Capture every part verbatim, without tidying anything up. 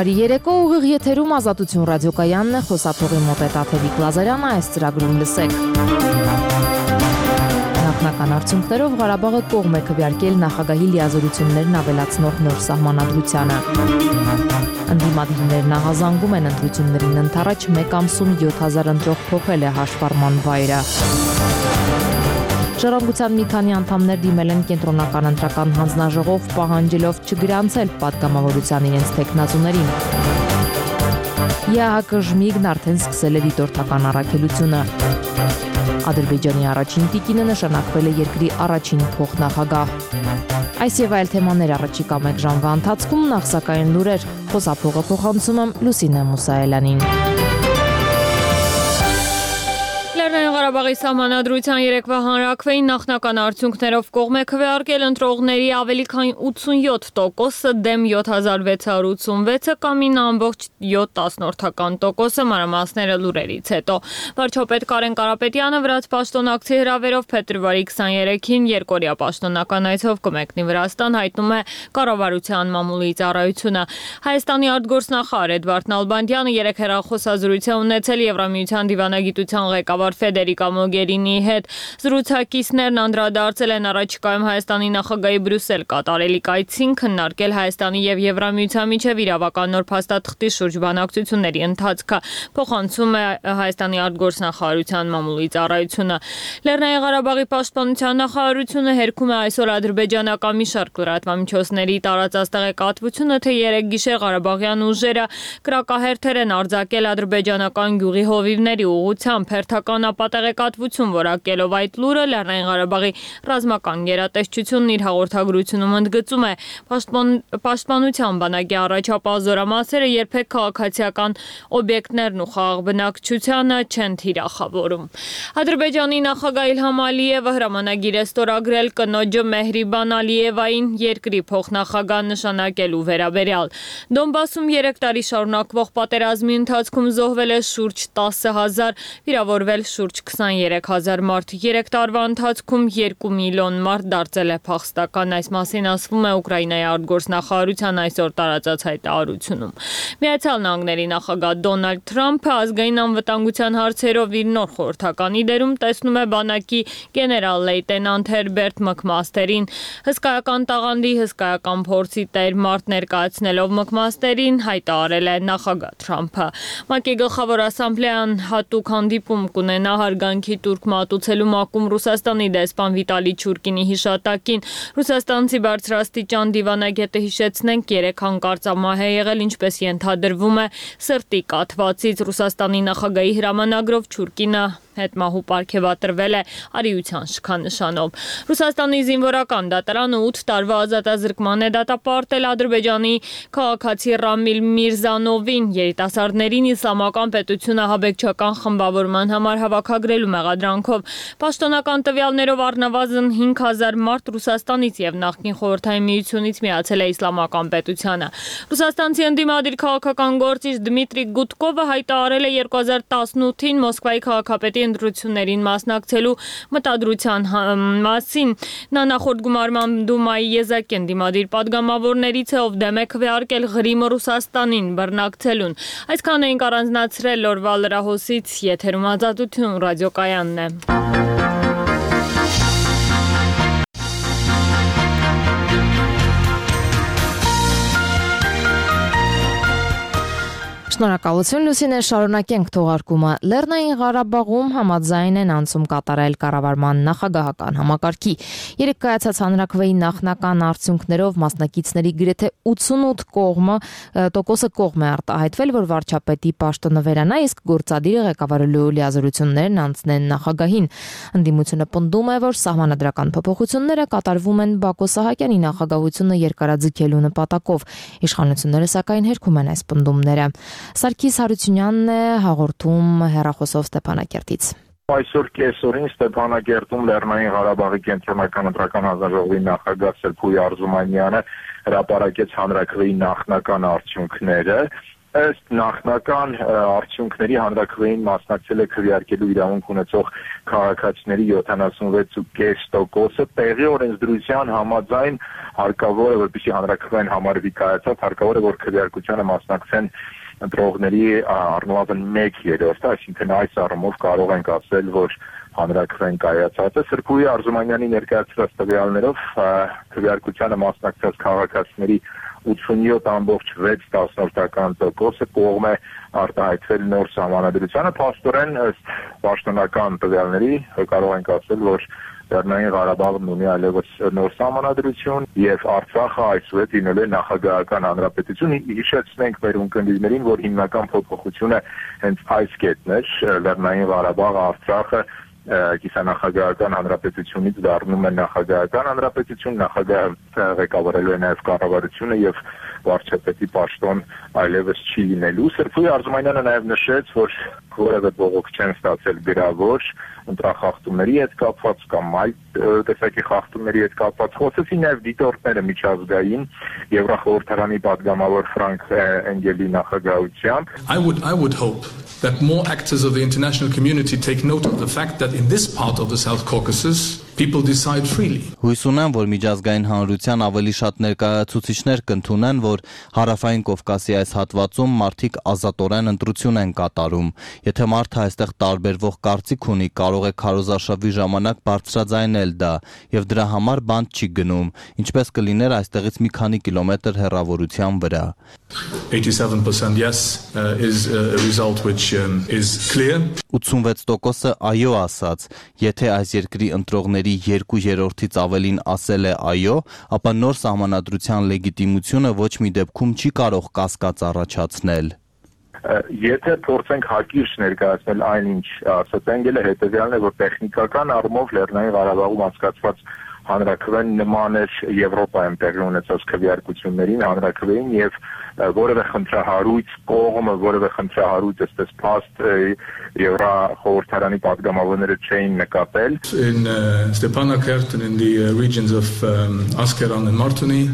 Բարի երեկո, ուղիղ եթերում Ազատություն ռադիոկայանն է, խոսափողի մոտ է Տաթևիկ Լազարյանը, այս ծրագրում լսեք։ Նախնական արդյունքներով Ղարաբաղը կողմ է քվեարկել նախագահի լիազորություններն ավելացնող նոր սահմանադրությանը։ Ընդդիմադիրներն ահազանգում են ընտրություններին ընդառաջ մեկ ամսում յոթ հազար ընտրող փոխել է հաշվառման վայրը։ Ժառանգության մի քանի անդամներ դիմել են կենտրոնական ընտրական հանձնաժողով, պահանջելով չգրանցել պատգամավորության իրենց թեկնածուներին։ ԵԱՀԿ ժմիգն արդեն սկսել է դիտորդական առաքելությունը։ Ադրբեջանի առաջին տիկինը նշանակվել է երկրի առաջին փոխնախագահ։ Այս եւ այլ թեմաներ առաջիկա մեկ ժամվա ընթացքում, նախ սակայն լուրեր, խոսափողը փոխանցում եմ Լուսինե Մուսայելյանին։ Լեռնային Ղարաբաղի սահմանադրության երեկվա հանրաքվեին նախնական արդյունքներով կողմ է քվեարկել ընտրողների ավելի քան ութսունյոթ տոկոսը դեմ յոթ հազար վեց հարյուր ութսունվեցը կամ ինը ամբողջ յոթ տասնորդական տոկոսը, մանրամասները լուրերից հետո։ Վարչապետ Կարեն Կարապետյանը վրաց պաշտոնակցի հրավերով փետրվարի քսաներեքին երկօրյա պաշտոնական այցով կմեկնի Վրաստան, հայտնում է կառավարության մամուլի ծառայությունը։ Հայաստանի արտգործնախարար Էդվարդ Նալբանդյանը երեկ հեռախոսազրույց է ունեցել Եվրամիության դիվանագիտության ղեկավար Ֆեդերիկա Մոգերինիի հետ։ Զրուցակիցներն անդրադարձել են առաջիկայում Հայաստանի նախագահի Բրյուսել կատարելիք այցին, քննարկել Հայաստանի եւ Եվրամիության միջև իրավական նոր փաստաթղթի շուրջ բանակցությունների ընթացքը, փոխանցում է Հայաստանի արտգործնախարարության մամուլի ծառայությունը։ Լեռնային Ղարաբաղի պաշտպանության նախարարությունը հերքում է այսօր ադրբեջանական մի շարք լրատվամիջոցների տարածած տեղեկատվությունը, թե երեք գիշեր Ղարաբաղյան ուժերը կրակահերթեր են արձակել ադրբեջանական գյուղի հովիվների ուղղությամբ, հերթական ապատեղեկատվություն որակելով այդ լուրը Լեռնային Ղարաբաղի ռազմական գերատեսչությունն իր հաղորդագրությունում ընդգծում է պաշտպան, պաշտպանության բանակի առաջապահ զորամասերը երբեք քաղաքացիական օբյեկտներն ու խաղաղ բնակչությանը չեն թիրախավորում։ Ադրբեջանի նախագահ Իլհամ Ալիևը հրամանագիր է ստորագրել կնոջը Մեհրիբան Ալիևային երկրի փոխնախագահ նշանակելու վերաբերյալ։ Դոնբասում երեք տարի շարունակվող պատերազմի ընթացքում զոհվել է շուրջ տասը հազար, վիրավորվել շուրջ քսաներեք հազար մարդ, երեք տարվա ընթացքում երկու միլիոն մարդ դարձել է փախստական, այս մասին ասվում է Ուկրաինայի արտգործնախարարության այսօր տարածած հայտարարությունում։ Միացյալ Նահանգների նախագահ Դոնալդ Թրամփը ազգային անվտանգության հարցերով իր նոր խորհրդականի դերում տեսնում է բանակի գեներալ լեյտենանտ Հերբերտ Մքմաստերին, հսկայական տաղանդի, հսկայական փորձի տեր մարդ ներկայացնելով Մքմաստերին, հայտարարել է նախագահ Թրամփը։ ՄԱԿ-ի գլխավոր ասամբլեան հատուկ հանդիպում կունենա հարգանքի տուրք մատուցելու մակում Ռուսաստանի դեսպան Վիտալի Չուրկինի հիշատակին։ Ռուսաստանցի բարձրաստիճան դիվանագետը հիշեցնենք երեք հանկարծամահ է եղել, ինչպես ենթադրվում է սրտի կաթվածից։ Ռուսաստանի նախագահի հրամանագրով Չուրկինը հետմահու պարգևատրվել է արիության շքանշանով։ Ռուսաստանի զինվորական դատարանը ութ տարվա ազատազրկման է դատապարտել Ադրբեջանի քաղաքացի Ռամիլ Միրզանովին երիտասարդներին իսլամական պետությունը ահաբեկչական խմբավորման համար հավաքագրելու մեղադրանքով։ Պաշտոնական տվյալներով առնվազն հինգ հազար մարդ Ռուսաստանից եւ նախկին Խորհրդային Միությունից միացել է իսլամական պետությանը։ Ռուսաստանցի ընդդիմադիր քաղաքական գործիչ Դմիտրի Գուտկովը հայտարարել է երկու հազար տասնութին Մոսկվայի քաղաքապետի ընտրություններին մասնակցելու մտադրության մասին։ Նա նախորդ գումարման Դումայի եզակի ընդդիմադիր падգամավորներից է, ով դեմ է քվեարկել Ղրիմը Ռուսաստանին բռնակցելուն։ Այսքան էինք առանձնացրել օրվա լրահոսից, եթերում Ազատություն ռադիոկայանն է։ Շնորհակալություն Լուսինե, շարունակենք թողարկումը։ Լեռնային Ղարաբաղում համաձայն են անցում կատարել կառավարման նախագահական համակարգի։ Երեկ կայացած հանրաքվեի նախնական արդյունքներով մասնակիցների գրեթե ութսունութ կողմը տոկոսը կողմ է արտահայտվել, որ վարչապետի պաշտոնը վերանա, իսկ գործադիրը ղեկավարելու լիազորություններն անցնեն նախագահին։ Ընդդիմությունը պնդում է, որ սահմանադրական փոփոխությունները կատարվում են Բակո Սահակյանի նախագահությունը երկարաձգելու նպատակով։ Իշխանությունները սակայն հերքում են այս պնդումները։ Սարգիս Հարությունյանն է հաղորդում հեռախոսով Ստեփանակերտից։ Այսօր կեսօրին Ստեփանակերտում Լեռնային Ղարաբաղի կենտրոնական ընտրական հանձնաժողովի նախագահ Սերփուի Արզումանյանը հրապարակեց հանրաքվեի նախնական արդյունքները։ ըստ նախնական արդյունքների հանրաքվեին մասնակցել է քվեարկելու իրավունք ունեցող քաղաքացիների յոթանասունվեց կόμ կես տոկոսը, տեղի օրենսդրության համաձայն հարկավոր է, որպեսզի հանրաքվեն համարվի կայացած, հարկավոր է, որ քվեարկությանը մասնակցեն ընտրողների առնվազն մեկ երրորդը, այսինքն այս առումով կարող ենք ասել, որ հանրաքվեն կայացած է։ Սրբուհի Արզումանյանի ներկայացրած տվյալներով քվեարկությանը մասնակցած քաղաքացիների ութսունյոթ ամբողջ վեց տասնորդական տոկոսը կողմ է արտահայտվել նոր սահմանադրությանը, փաստորեն ըստ պաշտոնական տվյալների կարող ենք ասել, որ Լեռնային Ղարաբաղն ունի այլևս նոր սահմանադրություն եւ Արցախը այսուհետ լինելու է նախագահական հանրապետություն։ Հիշեցնենք մեր ունկնդիրներին, որ հիմնական փոփոխությունը հենց այս կետն էր, Լեռնային Ղարաբաղը, Արցախը կիսանախագահական հանրապետությունից դառնում է նախագահական հանրապետություն, նախագահը ղեկավարելու է նաև կառավարությունը եւ վարչապետի պաշտոն այլևս չի լինելու։ Սրբուհի Արզումանյանը նաև նշեց, որ որևէ բողոք չեն ստացել գրավոր ընտրախախտումների հետ կապված կամ այլ տեսակի խախտումների հետ կապված, խոսեցի նաև դիտորդները միջազգային Եվրախորհրդարանի падգամավոր Ֆրանկ Էնգելի նախագահությամբ. I would I would hope that more actors of the international community take note of the fact that in this part of the South Caucasus people decide freely. Հույս ունեմ, որ միջազգային հանրության ավելի շատ ներկայացուցիչներ կընդունեն, որ հարավային Կովկասի այս հատվածում մարդիկ ազատորեն ընտրություն են կատարում։ Եթե մարդը այստեղ տարբերվող կարծիք ունի, կարող է քարոզարշավի ժամանակ բարձրաձայնել դա, եւ դրա համար բանտ չի գնում, ինչպես կլիներ այստեղից մի քանի կիլոմետր հեռավորության վրա։ eighty-seven percent yes uh, is a result which um, is clear. ութսունվեց տոկոսը այո ասաց, եթե այս երկրի ընտրողների երկու երրորդից ավելին ասել է այո, ապա նոր սահմանադրության լեգիտիմությունը ոչ մի դեպքում չի կարող կասկած առաջացնել։ Եթե փորձենք հակիրճ ներկայացնել այն, ինչ ասաց Էնգելը, հետևյալն է, որ տեխնիկական առումով Լեռնային Ղարաբաղում անցկացված հանրաքվեն նման էր Եվրոպայում տեղի ունեցած քվեարկություններին, հանրաքվեին եւ որևէ խնդրահարույց կողմը, որևէ խնդրահարույց այսպես փաստ Եվրախորհրդարանի падգամավորները չէին նկատել. In uh, Stepanakert and in the uh, regions of um, Askeran and Martuni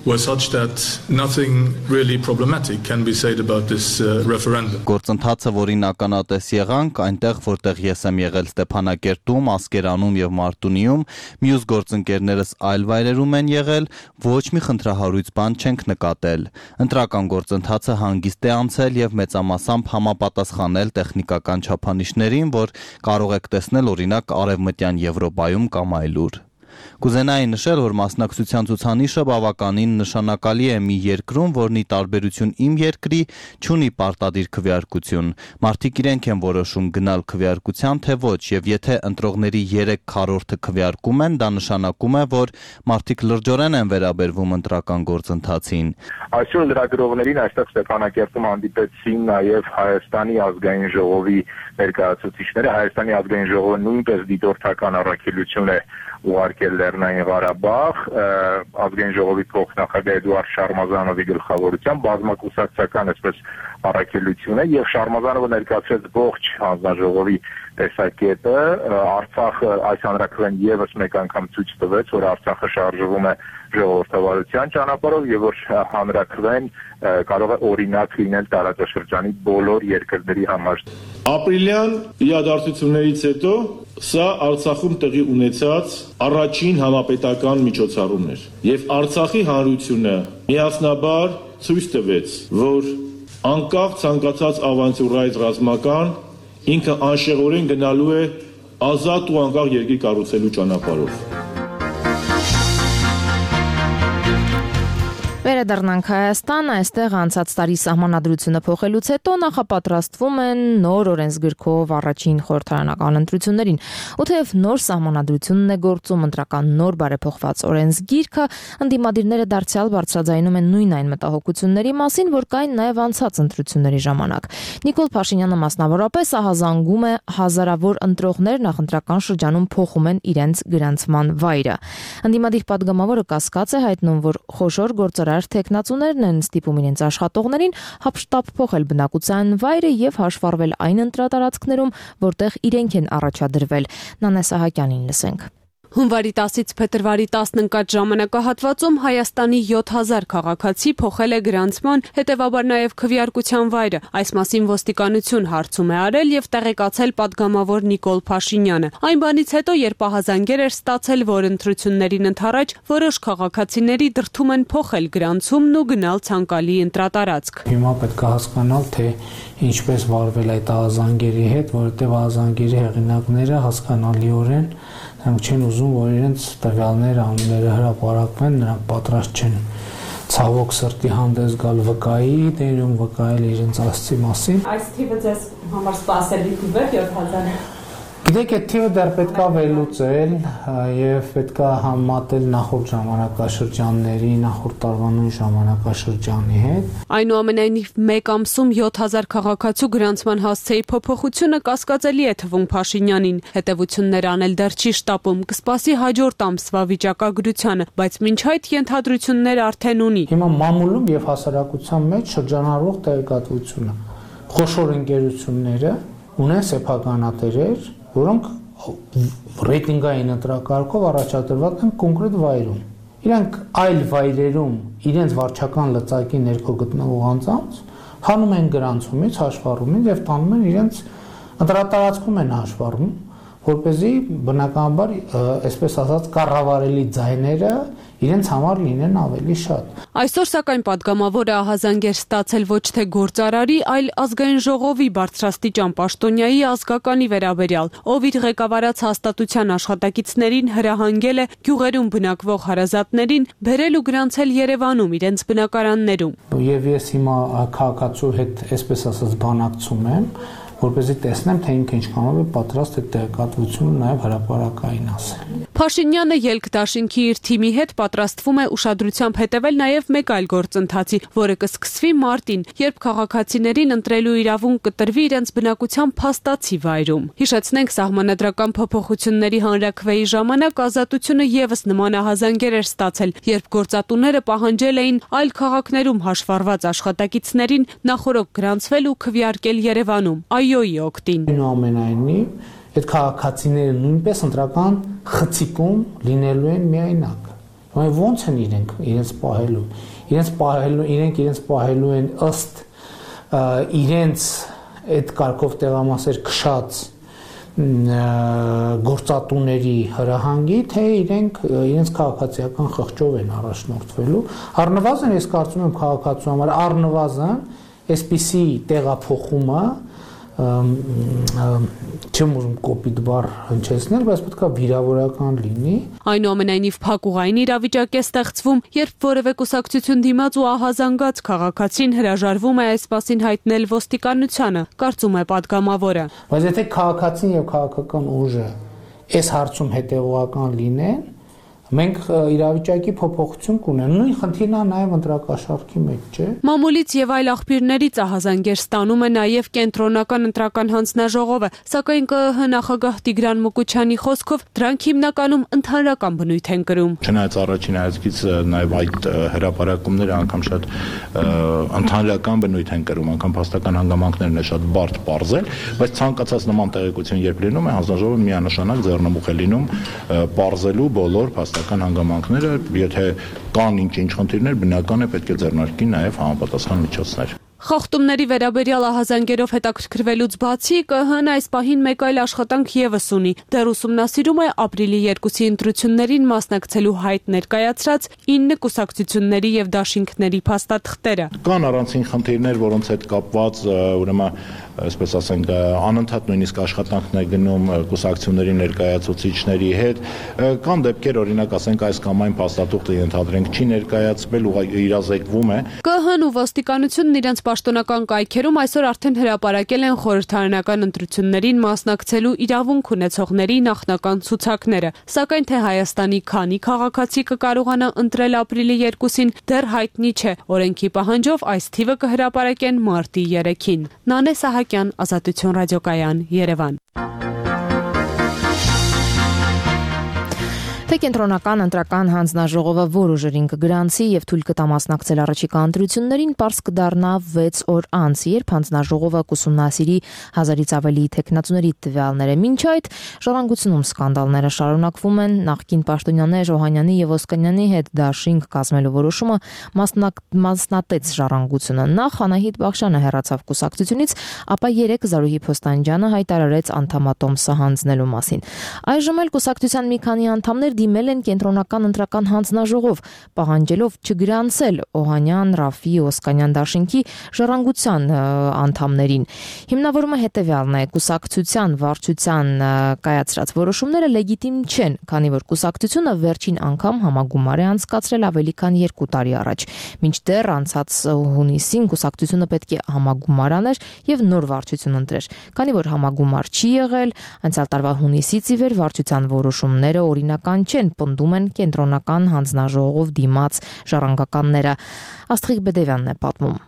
were such that nothing really problematic can be said about this uh, referendum. Գործընթացը, որին ականատես եղանք, այնտեղ, որտեղ ես եմ եղել Ստեփանակերտում, Ասկերանում եւ Մարտունիում, մյուս գործընկերներս այլ վայրերում են եղել, ոչ մի խնդրահարույց բան չենք նկատել։ Ընտրական գործընթացը հանգիստ է անցել եւ մեծամասամբ համապատասխանել տեխնիկական չափանիշներին, որ կարող եք տեսնել օրինակ Արևմտյան Եվրոպայում կամ այլուր։ Կուզենայի նշել, որ մասնակցության ցուցանիշը բավականին նշանակալի է մի երկրում, որն ի տարբերություն իմ երկրի չունի պարտադիր քվեարկություն։ Մարդիկ իրենք են որոշում գնալ քվեարկության թե ոչ, եւ եթե ընտրողների երեք քառորդը քվեարկում են, դա նշանակում է, որ մարդիկ լրջորեն են վերաբերվում ընտրական գործընթացին։ Այսօր լրագրողներին այստեղ Ստեփանակերտում հանդիպեցին նաև Հայաստանի ազգային ժողովի ներկայացուցիչները։ Հայաստանի ազգային ժողովը նույնպես դիտորդական առաքելություն է ուղարկել Լեռնային Ղարաբաղ, ազգային ժողովի փոխնախագահ Էդուարդ Շարմազանովի գլխավորությամբ բազմակուսակցական այսպես առաքելություն է եւ Շարմազանովը ներկայացրեց ողջ հանձնաժողովի տեսակետը։ Արցախը այս հանրաքվեն եւս մեկ անգամ ցույց տվեց, որ Արցախը շարժվում է ժողովրդավարության ճանապարհով եւ որ հանրաքվեն կարող է օրինակ լինել տարածաշրջանի բոլոր երկրների համար։ Ապրիլյան իրադարձություններից հետո սա Արցախում տեղի ունեցած առաջին համապետական միջոցառումն էր եւ Արցախի հանրությունը միասնաբար ցույց տվեց, որ անկախ ցանկացած ավանտյուրայից ռազմական ինքը անշեղորեն գնալու է ազատ ու անկախ երկիր կառուցելու ճանապարհով։ Վերադառնանք Հայաստան, այստեղ անցած տարի սահմանադրությունը փոխելուց հետո նախապատրաստվում են նոր օրենսգրքով առաջին խորհրդարանական ընտրություններին։ Ու թեև նոր սահմանադրությունն է գործում ընտրական նոր բարեփոխված օրենսգիրքը, ընդդիմադիրները դարձյալ բարձրաձայնում են նույն այն մտահոգությունների մասին, որ կային նաև անցած ընտրությունների ժամանակ։ Նիկոլ Փաշինյանը մասնավորապես ահազանգում է հազարավոր ընտրողներ նախընտրական շրջանում փոխում են իրենց գրանցման վայրը։ Ընդդիմադիր падգամավորը կասկած է հայտնում, որ խոշոր գործարար թեկնածուներն են ստիպում իրենց աշխատողներին հապշտապ փոխել բնակության վայրը եւ հաշվառվել այն ընտրատարածքներում, որտեղ իրենք են առաջադրվել։ Նանե Սահակյանին լսենք։ Հունվարի տասից փետրվարի տասն ընկած ժամանակահատվածում Հայաստանի յոթ հազար քաղաքացի փոխել է գրանցման, հետևաբար նաև քվեարկության վայրը։ Այս մասին ոստիկանություն հարցում է արել եւ տեղեկացել падգամավոր Նիկոլ Փաշինյանը։ Այն բանից հետո, երբ ահազանգեր էր ստացել, որ ընտրություններին ընդառաջ որոշ քաղաքացիների դրդում են փոխել գրանցումն ու գնալ ցանկալի ընտրատարածք։ Հիմա պետք է հասկանալ, թե ինչպես վարվել այդ ահազանգերի հետ, որովհետեւ ահազանգերի հեղինակները հասկանալիորեն նրանք չեն ուզում, որ իրենց տվյալները, անունները հրապարակվեն, նրանք պատրաստ չեն ցավոք սրտի հանդես գալ վկայի դերում, վկայել իրենց ասցի մասին։ Այս թիվը ձեզ համար սպասելի թիվ է յոթ հազար։ Գիտեք, այդ թիվը դեռ պետք է վերլուծել եւ պետք է համատել նախորդ ժամանակաշրջանների, նախորդ տարվա նույն ժամանակաշրջանի հետ։ Այնուամենայնիվ մեկ ամսում յոթ հազար քաղաքացու գրանցման հասցեի փոփոխությունը կասկածելի է թվում Փաշինյանին։ Հետևություններ անել դեռ չի շտապում, կսպասի հաջորդ ամսվա վիճակագրությանը, բայց մինչ այդ ենթադրություններ արդեն ունի։ Հիմա մամուլում եւ հասարակության մեջ շրջանառվող տեղեկատվությունը խոշոր ընկերությունները ունեն սեփականատերեր, որոնք ռեյտինգային ընտրակարգով առաջադրված են կոնկրետ վայրում։ Իրանք այլ վայրերում իրենց վարչական լծակի ներքո գտնվող անձանց հանում են գրանցումից, հաշվառումից եւ տանում են իրենց ընտրատարածքում են հաշվառում, որպեսզի բնականաբար, այսպես ասած, կառավարելի ձայները իրենց համար լինեն ավելի շատ։ Այսօր սակայն падգամավորը ահազանգ էր ստացել ոչ թե գործարարի, այլ ազգային ժողովի բարձրաստիճան պաշտոնյայի ազգականի վերաբերյալ, ով իր ղեկավարած հաստատության աշխատակիցներին հրահանգել է գյուղերում բնակվող հարազատներին բերել ու գրանցել Երևանում իրենց բնակարաններում։ Եվ ես հիմա քաղաքացու հետ, այսպես ասած, բանակցում եմ, որպեսզի տեսնեմ, թե ինքը ինչքանով է պատրաստ այդ տեղեկատվությունը նաև հրապարակային ասել։ Փաշինյանը ելք դաշինքի իր թիմի հետ պատրաստվում է ուշադրությամբ հետևել նաև մեկ այլ գործընթացի, որը կսկսվի մարտին, երբ քաղաքացիներին ընտրելու իրավունք կտրվի իրենց բնակության փաստացի վայրում։ Հիշեցնենք, սահմանադրական փոփոխությունների հանրաքվեի ժամանակ Ազատությունը եւս նման ահազանգեր էր ստացել, երբ գործատուները պահանջել էին այլ քաղաքներում հաշվառված աշխատակիցներին նախորոք գրանցվել ու քվեարկել Երևանում։ Այոյի օգտին։ Այնուամենայնիվ, այդ քաղաքացիները նույնպես ընտրական խցիկում լինելու են միայնակ։ Ոնց են իրենք իրենց պահելու։ Իրենց պահելու, իրենք իրենց պահելու են ըստ իրենց այդ կարգով տեղամասեր քշած գործատուների հրահանգի, թե իրենք իրենց քաղաքացիական խղճով են առաջնորդվելու։ Առնվազն ես կարծում եմ քաղաքացու համար առնվազն այսպիսի տեղափոխումը չեմ ուզում կոպիտ բառ հնչեցնել, բայց պետք է վիրավորական լինի։ Այնուամենայնիվ փակուղային իրավիճակ է ստեղծվում, երբ որևէ կուսակցություն դիմաց ու ահազանգած քաղաքացին հրաժարվում է այս մասին հայտնել ոստիկանությանը, կարծում է падգամավորը։ Բայց եթե քաղաքացին եւ քաղաքական ուժը այս հարցում հետեւողական լինեն, մենք իրավիճակի փոփոխություն կունենք։ Նույն խնդիրն է նաև ընտրակաշառքի մեջ, չէ՞։ Մամուլից եւ այլ աղբյուրներից ահազանգեր ստանում է նաև կենտրոնական ընտրական հանձնաժողովը, սակայն ԿԸՀ նախագահ Տիգրան Մուկուչյանի խոսքով դրանք հիմնականում ընդհանրական բնույթ են կրում։ Չնայած առաջին հայացքից նաև այդ հրապարակումները անգամ շատ ընդհանրական բնույթ են կրում, անգամ փաստական հանգամանքներն է շատ բարդ բարձել, բայց ցանկացած նման տեղեկություն երբ լինում է, հանձնաժողովը միանշանակ ձեռնմուխ է լինում բարձելու բոլոր փաստական հանգամանքները, եթե կան ինչ-ինչ խնդիրներ, բնական է պետք է ձեռնարկի նաև համապատասխան միջոցներ։ Խախտումների վերաբերյալ ահազանգերով հետաքրքրվելուց բացի ԿԸՀ-ն այս պահին մեկ այլ աշխատանք եւս ունի։ Դեռ ուսումնասիրում է ապրիլի երկուսի ընտրություններին մասնակցելու հայտ ներկայացրած ինը կուսակցությունների եւ դաշինքների փաստաթղթերը։ Կան առանցին խնդիրներ, որոնց հետ կապված ուրեմն այսպես ասենք անընդհատ նույնիսկ աշխատանքն է գնում կուսակցությունների ներկայացուցիչների հետ։ Կան դեպքեր, օրինակ ասենք այս կամ այն փաստաթուղթը ենթադրենք չի ներկայացվել ու իրազեկվում է։ ԿԸՀ-ն ու ոստիկանությունն իրենց պաշտոնական կայքերում այսօր արդեն հրապարակել են խորհրդարանական ընտրություններին մասնակցելու իրավունք ունեցողների նախնական ցուցակները, սակայն թե Հայաստանի քանի քաղաքացի կկարողանա ընտրել ապրիլի երկուսին դեռ հայտնի չէ։ Օրենքի պահանջով այս թիվը կհրապարակեն մարտի երեքին։ Նանե Սահակյան, Ազատություն ռադիոկայան, Երևան։ Թե կենտրոնական ընտրական հանձնաժողովը որ ուժերին կգրանցի եւ թույլ կտա մասնակցել առաջիկա ընտրություններին, պարզ կդառնա վեց օր անց, երբ հանձնաժողովը կուսումնասիրի հազարից ավելի թեկնածուների տվյալները։ Մինչ այդ ժառանգությունում սկանդալները շարունակվում են, նախկին պաշտոնյաներ Օհանյանի եւ Ոսկանյանի հետ դաշինք կազմելու որոշումը մասնատեց ժառանգությունը։ Նախ Անահիտ Բախշյանը հեռացավ կուսակցությունից, ապա երեկ Զարուհի Փոստանջյանը հայտարարեց անդամատոմսը հանձնելու մասին։ Այժմ էլ կուսակցության մի քանի անդամներ դիմել են կենտրոնական ընտրական հանձնաժողով, պահանջելով չգրանցել Օհանյան, Ռաֆի, Ոսկանյան դաշինքի ժառանգության անդամներին։ Հիմնավորումը հետևյալն է. կուսակցության վարչության կայացրած որոշումները լեգիտիմ չեն, քանի որ կուսակցությունը վերջին անգամ համագումար է անցկացրել ավելի քան երկու տարի առաջ։ Մինչդեռ անցած հունիսին կուսակցությունը պետք է համագումար աներ եւ նոր վարչություն ընտրեր, քանի որ համագումար չի եղել, անցյալ տարվա հունիսից ի վեր վարչության որոշումները օրինական չեն, պնդում են կենտրոնական հանձնաժողով դիմաց ժառանգականները։ Աստղիկ Բեդևյանն է պատմում։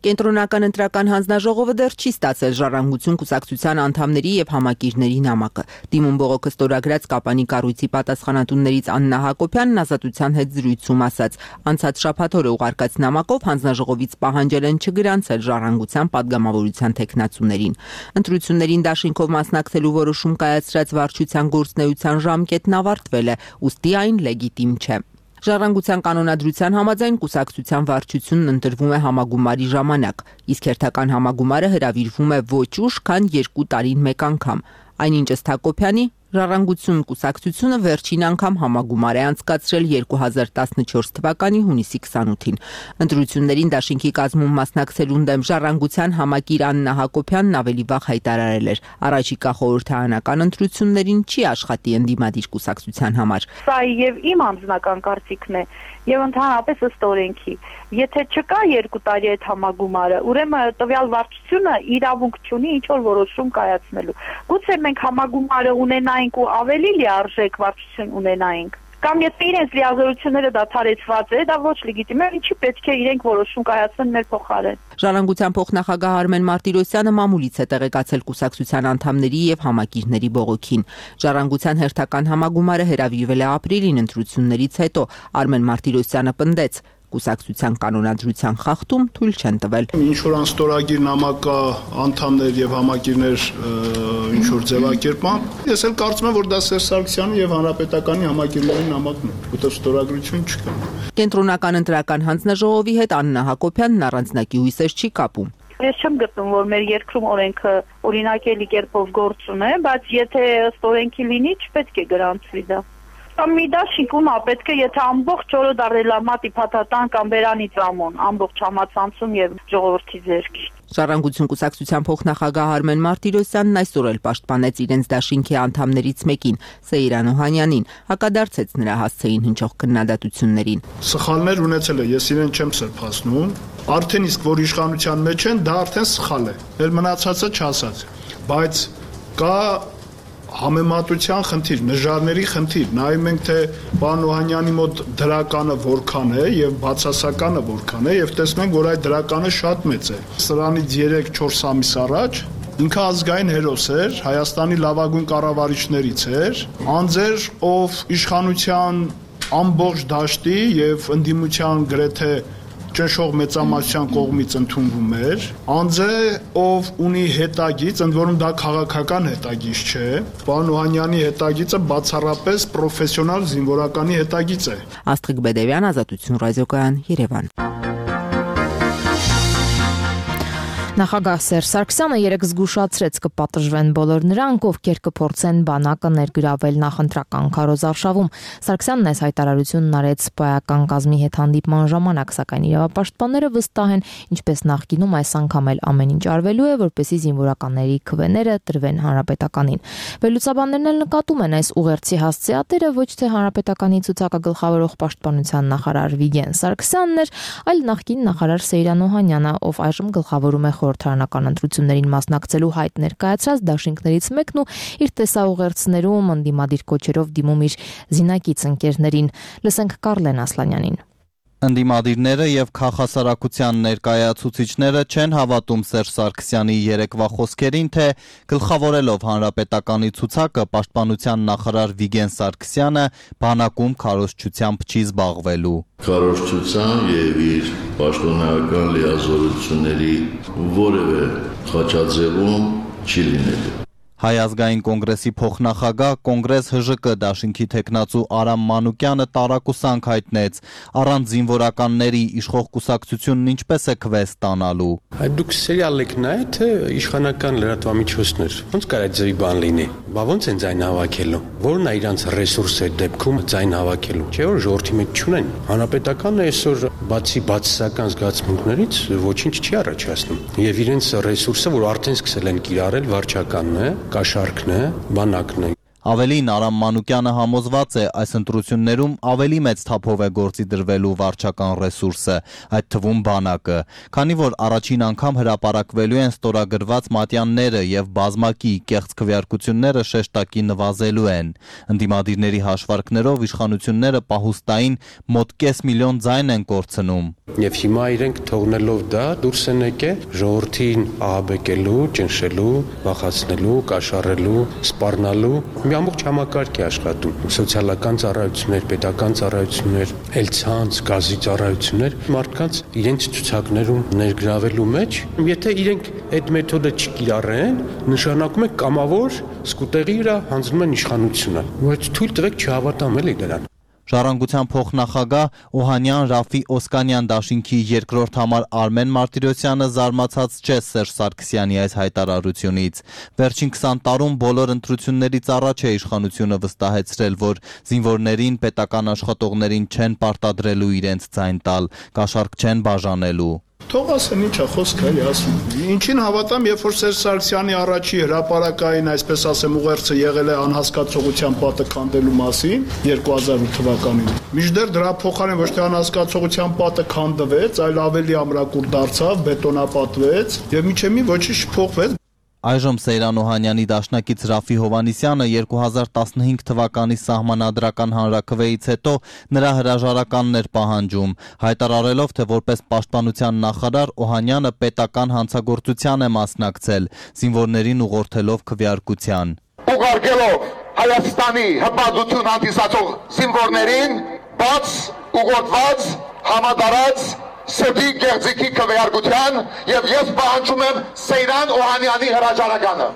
Կենտրոնական ընտրական հանձնաժողովը դեռ չի ստացել ժառանգություն կուսակցության անդամների եւ համակիրների նամակը։ Դիմում բողոքը ստորագրած Կապանի կառույցի պատասխանատուներից Աննա Հակոբյանն ազատության հետ զրույցում ասաց. անցած շաբաթ օրը ուղարկած նամակով հանձնաժողովից պահանջել են չգրանցել ժառանգության падգամավորության թեկնածուներին։ Ընտրություններին դաշինքով մասնակցելու որոշում կայացրած վարչության գործնեության ժամկետն ավարտվել է, ուստի այն լեգիտիմ չէ։ Ժառանգության կանոնադրության համաձայն կուսակցության վարչությունն ընտրվում է համագումարի ժամանակ, իսկ հերթական համագումարը հրավիրվում է ոչ ուշ, քան երկու տարին մեկ անգամ։ Այնինչ ըստ Հակոբյանի Ժառանգություն կուսակցությունը վերջին անգամ համագումար է անցկացրել երկու հազար տասնչորս թվականի հունիսի քսանութին։ Ընտրություններին դաշինքի կազմում մասնակցելուն դեմ Ժառանգության համակիր Աննա Հակոբյանն ավելի վաղ հայտարարել էր. առաջիկա խորհրդարանական ընտրություններին չի աշխատի ընդդիմադիր կուսակցության համար։ Սա եւ իմ անձնական կարծիքն է եւ ընդհանրապես ըստ օրենքի։ Եթե չկա երկու տարի այդ համագումարը, ուրեմն տվյալ վարչությունը իրավունք չունի ինչ որ որոշում կայացնելու։ Գուցե մենք համագումարը ունենայինք ու ավելի լիարժեք վարչություն ունենայինք, կամ եթե իրենց լիազորությունները դադարեցված է, դա ոչ լեգիտիմ է, ինչի պետք է իրենք որոշում կայացնեն մեր փոխարեն։ Ժառանգության փոխնախագահ Արմեն Մարտիրոսյանը մամուլից է տեղեկացել կուսակցության անդամների եւ համակիրների բողոքին։ Ժառանգության հերթական համագումարը հրավիրվել է ապրիլին ընտրություններից հետո։ Արմեն Մարտիրոսյանը պնդեց. կուսակցության կանոնադրության խախտում թույլ չեն տվել։ Ինչ որ անստորագիր նամակա անդամներ եւ համակիրներ ինչ որ ձևակերպման, ես էլ կարծում եմ, որ դա Սերժ Սարգսյանի եւ Հանրապետականի համակիրների նամակն է, որտեղ ստորագրություն չկա։ Կենտրոնական ընտրական հանձնաժողովի հետ Աննա Հակոբյանն առանձնակի հույսեր չի կապում։ Ես չեմ գտնում, որ մեր երկրում օրենքը օրինակելի կերպով գործում է, բայց եթե ըստ օրենքի լինի, չպետք է գրանցվի դա։ Կամ մի դաշինք ումա պետք է, եթե ամբողջ օրը դարելա մատի փաթաթան կամ բերանից ամոն, ամբողջ համացանցում եւ ժողովրդի ձեռքի։ Ժառանգություն կուսակցության փոխնախագահ Արմեն Մարտիրոսյանն այսօր էլ պաշտպանեց իրենց դաշինքի անդամներից մեկին, Սեյրան Օհանյանին, հակադարձեց նրա հասցեին հնչող քննադատություններին։ Սխալներ ունեցել է, ես իրեն չեմ սրբացնում, արդեն իսկ որ իշխանության մեջ են, դա արդեն սխալ է։ Էլ մնացածը չասած։ Բայց կա համեմատության խնդիր, նժարների խնդիր, նայում ենք թե պարոն Օհանյանի մոտ դրականը որքան է եւ բացասականը որքան է եւ տեսնում ենք, որ այդ դրականը շատ մեծ է։ Սրանից երեք-չորս ամիս առաջ ինքը ազգային հերոս էր, Հայաստանի լավագույն կառավարիչներից էր, անձեր, ով իշխանության ամբողջ դաշտի եւ ընդդիմության գրեթե ճնշող մեծամասնության կողմից ընդունվում էր, անձ է, ով ունի հետագիծ, ընդ որում դա քաղաքական հետագիծ չէ, պարոն Օհանյանի հետագիծը բացառապես պրոֆեսիոնալ զինվորականի հետագիծ է։ Աստղիկ Բեդևյան, Ազատություն ռադիոկայան, Երևան։ Նախագահ Սերժ Սարգսյանը երեկ զգուշացրեց կպատժվեն բոլոր նրանք, ովքեր կփորձեն բանակը ներգրավել նախընտրական քարոզարշավում։ Սարգսյանն այս հայտարարությունն արեց պայական կազմի հետ հանդիպման ժամանակ, սակայն իրավապաշտպանները վստահ են, ինչպես նախկինում այս անգամ էլ ամեն ինչ արվելու է, որպեսզի զինվորականների քվեները տրվեն հանրապետականին։ Վերլուծաբաններն էլ նկատում են այս ուղերձի հասցեատերը ոչ թե հանրապետականի ցուցակը գլխավորող պաշտպանության նախարար Վիգեն Սարգսյանն էր, այլ նախկին նախարար Սեյրան Օհանյանը, ով այժմ գլխավորում է խորհրդարանական ընտրություններին մասնակցելու հայտ ներկայացրած դաշինքներից մեկն ու իր տեսաուղերձներում ընդդիմադիր կոչերով դիմում իր զինակից ընկերներին։ Լսենք Կարլեն Ասլանյանին։ Ընդդիմադիրները եւ քաղաքասարակության ներկայացուցիչները չեն հավատում Սերժ Սարգսյանի երեկվա խոսքերին, թե գլխավորելով հանրապետականի ցուցակը պաշտպանության նախարար Վիգեն Սարգսյանը բանակում քարոզչությամբ չի զբաղվելու։ Քարոզչության եւ իր պաշտոնական լիազորությունների որևէ խաչաձևում չի լինելու։ Հայ ազգային կոնգրեսի փոխնախագահ Կոնգրես ՀԺԿ դաշինքի թեկնածու Արամ Մանուկյանը տարակուսանք հայտնեց առանց զինվորականների իշխող կուսակցությունն ինչպես է քվեստ ստանալու։ Դուք սերիալ եք նայ, թե իշխանական լրատվամիջոցներ ոնց կարա ձևի բան լինի։ Բա ոնց են ձայն հավաքելու։ Որն է իրանց ռեսուրսը դեպքում ձայն հավաքելու։ Չէ՞ որ ժողովրդի մեջ չունեն։ Հանրապետականը այսօր բացի բացասական զգացմունքներից ոչինչ չի առաջացնում։ Եվ իրենց ռեսուրսը, որ արդեն սկսել են կիրառել, վարչականն է, կաշառքն է, բանակն է։ Ավելին Արամ Մանուկյանը համոզված է այս ընտրություններում ավելի մեծ թափով է գործի դրվելու վարչական ռեսուրսը, այդ թվում բանակը, քանի որ առաջին անգամ հրապարակվելու են ստորագրված մատյանները եւ բազմակի կեղծ քվեարկությունները շեշտակի նվազելու են։ Ընդդիմադիրների հաշվարկներով իշխանությունները պահուստային մոտ կես միլիոն ձայն են կորցնում։ Եվ հիմա իրենք թողնելով դա դուրս են եկել ժողովրդին ահաբեկելու, ճնշելու, վախացնելու, կաշառելու, սպառնալու մի ամբողջ համակարգ է աշխատում սոցիալական ծառայություններ, պետական ծառայություններ, ելցանց, գազի ծառայություններ մարդկանց իրենց ցուցակներում ներգրավելու մեջ, եթե իրենք այդ մեթոդը չկիրառեն, նշանակում է կամավոր սկուտեղի վրա հանձնում են իշխանությունը։ Բայց թույլ տվեք չհավատամ էլի դրան։ Ժառանգության փոխնախագահ Օհանյան Ռաֆի Օսկանյան դաշինքի երկրորդ համար Արմեն Մարտիրոսյանը զարմացած չէ Սերժ Սարգսյանի այս հայտարարությունից։ Վերջին քսան տարում բոլոր ընտրություններից առաջ է իշխանությունը վստահեցրել, որ զինվորներին, պետական աշխատողներին չեն պարտադրելու իրենց ձայն տալ, կաշառք չեն բաժանելու։ Թող ասեն ինչա խոսքը էլի ասում։ Ինչին հավատամ, երբ որ Սերժ Սարգսյանի առաջի հրապարակային, այսպես ասեմ, ուղերձը եղել է անհասկացողության պատը քանդելու մասին երկու հազար ութ թվականին։ Մինչդեռ դրա փոխարեն ոչ թե անհասկացողության պատը քանդվեց, այլ ավելի ամրակուր դարձավ, բետոնապատվեց եւ միջև մի ոչինչ չփոխվեց։ Այժմ Սեյրան Օհանյանի դաշնակից Ռաֆի Հովանիսյանը երկու հազար տասնհինգ թվականի սահմանադրական հանրաքվեից հետո նրա հրաժարականն էր պահանջում, հայտարարելով, թե որպես պաշտպանության նախարար Օհանյանը պետական հանցագործության է մասնակցել, զինվորներին ուղղորդելով քվեարկության։ Ուղարկելով Հայաստանի հպատություն հանդիսացող զինվորներին բաց ուղղորդված համադարած սրտի գեղձիկի քվեարկության եւ ես պահանջում եմ Սեյրան Օհանյանի հրաժարականը։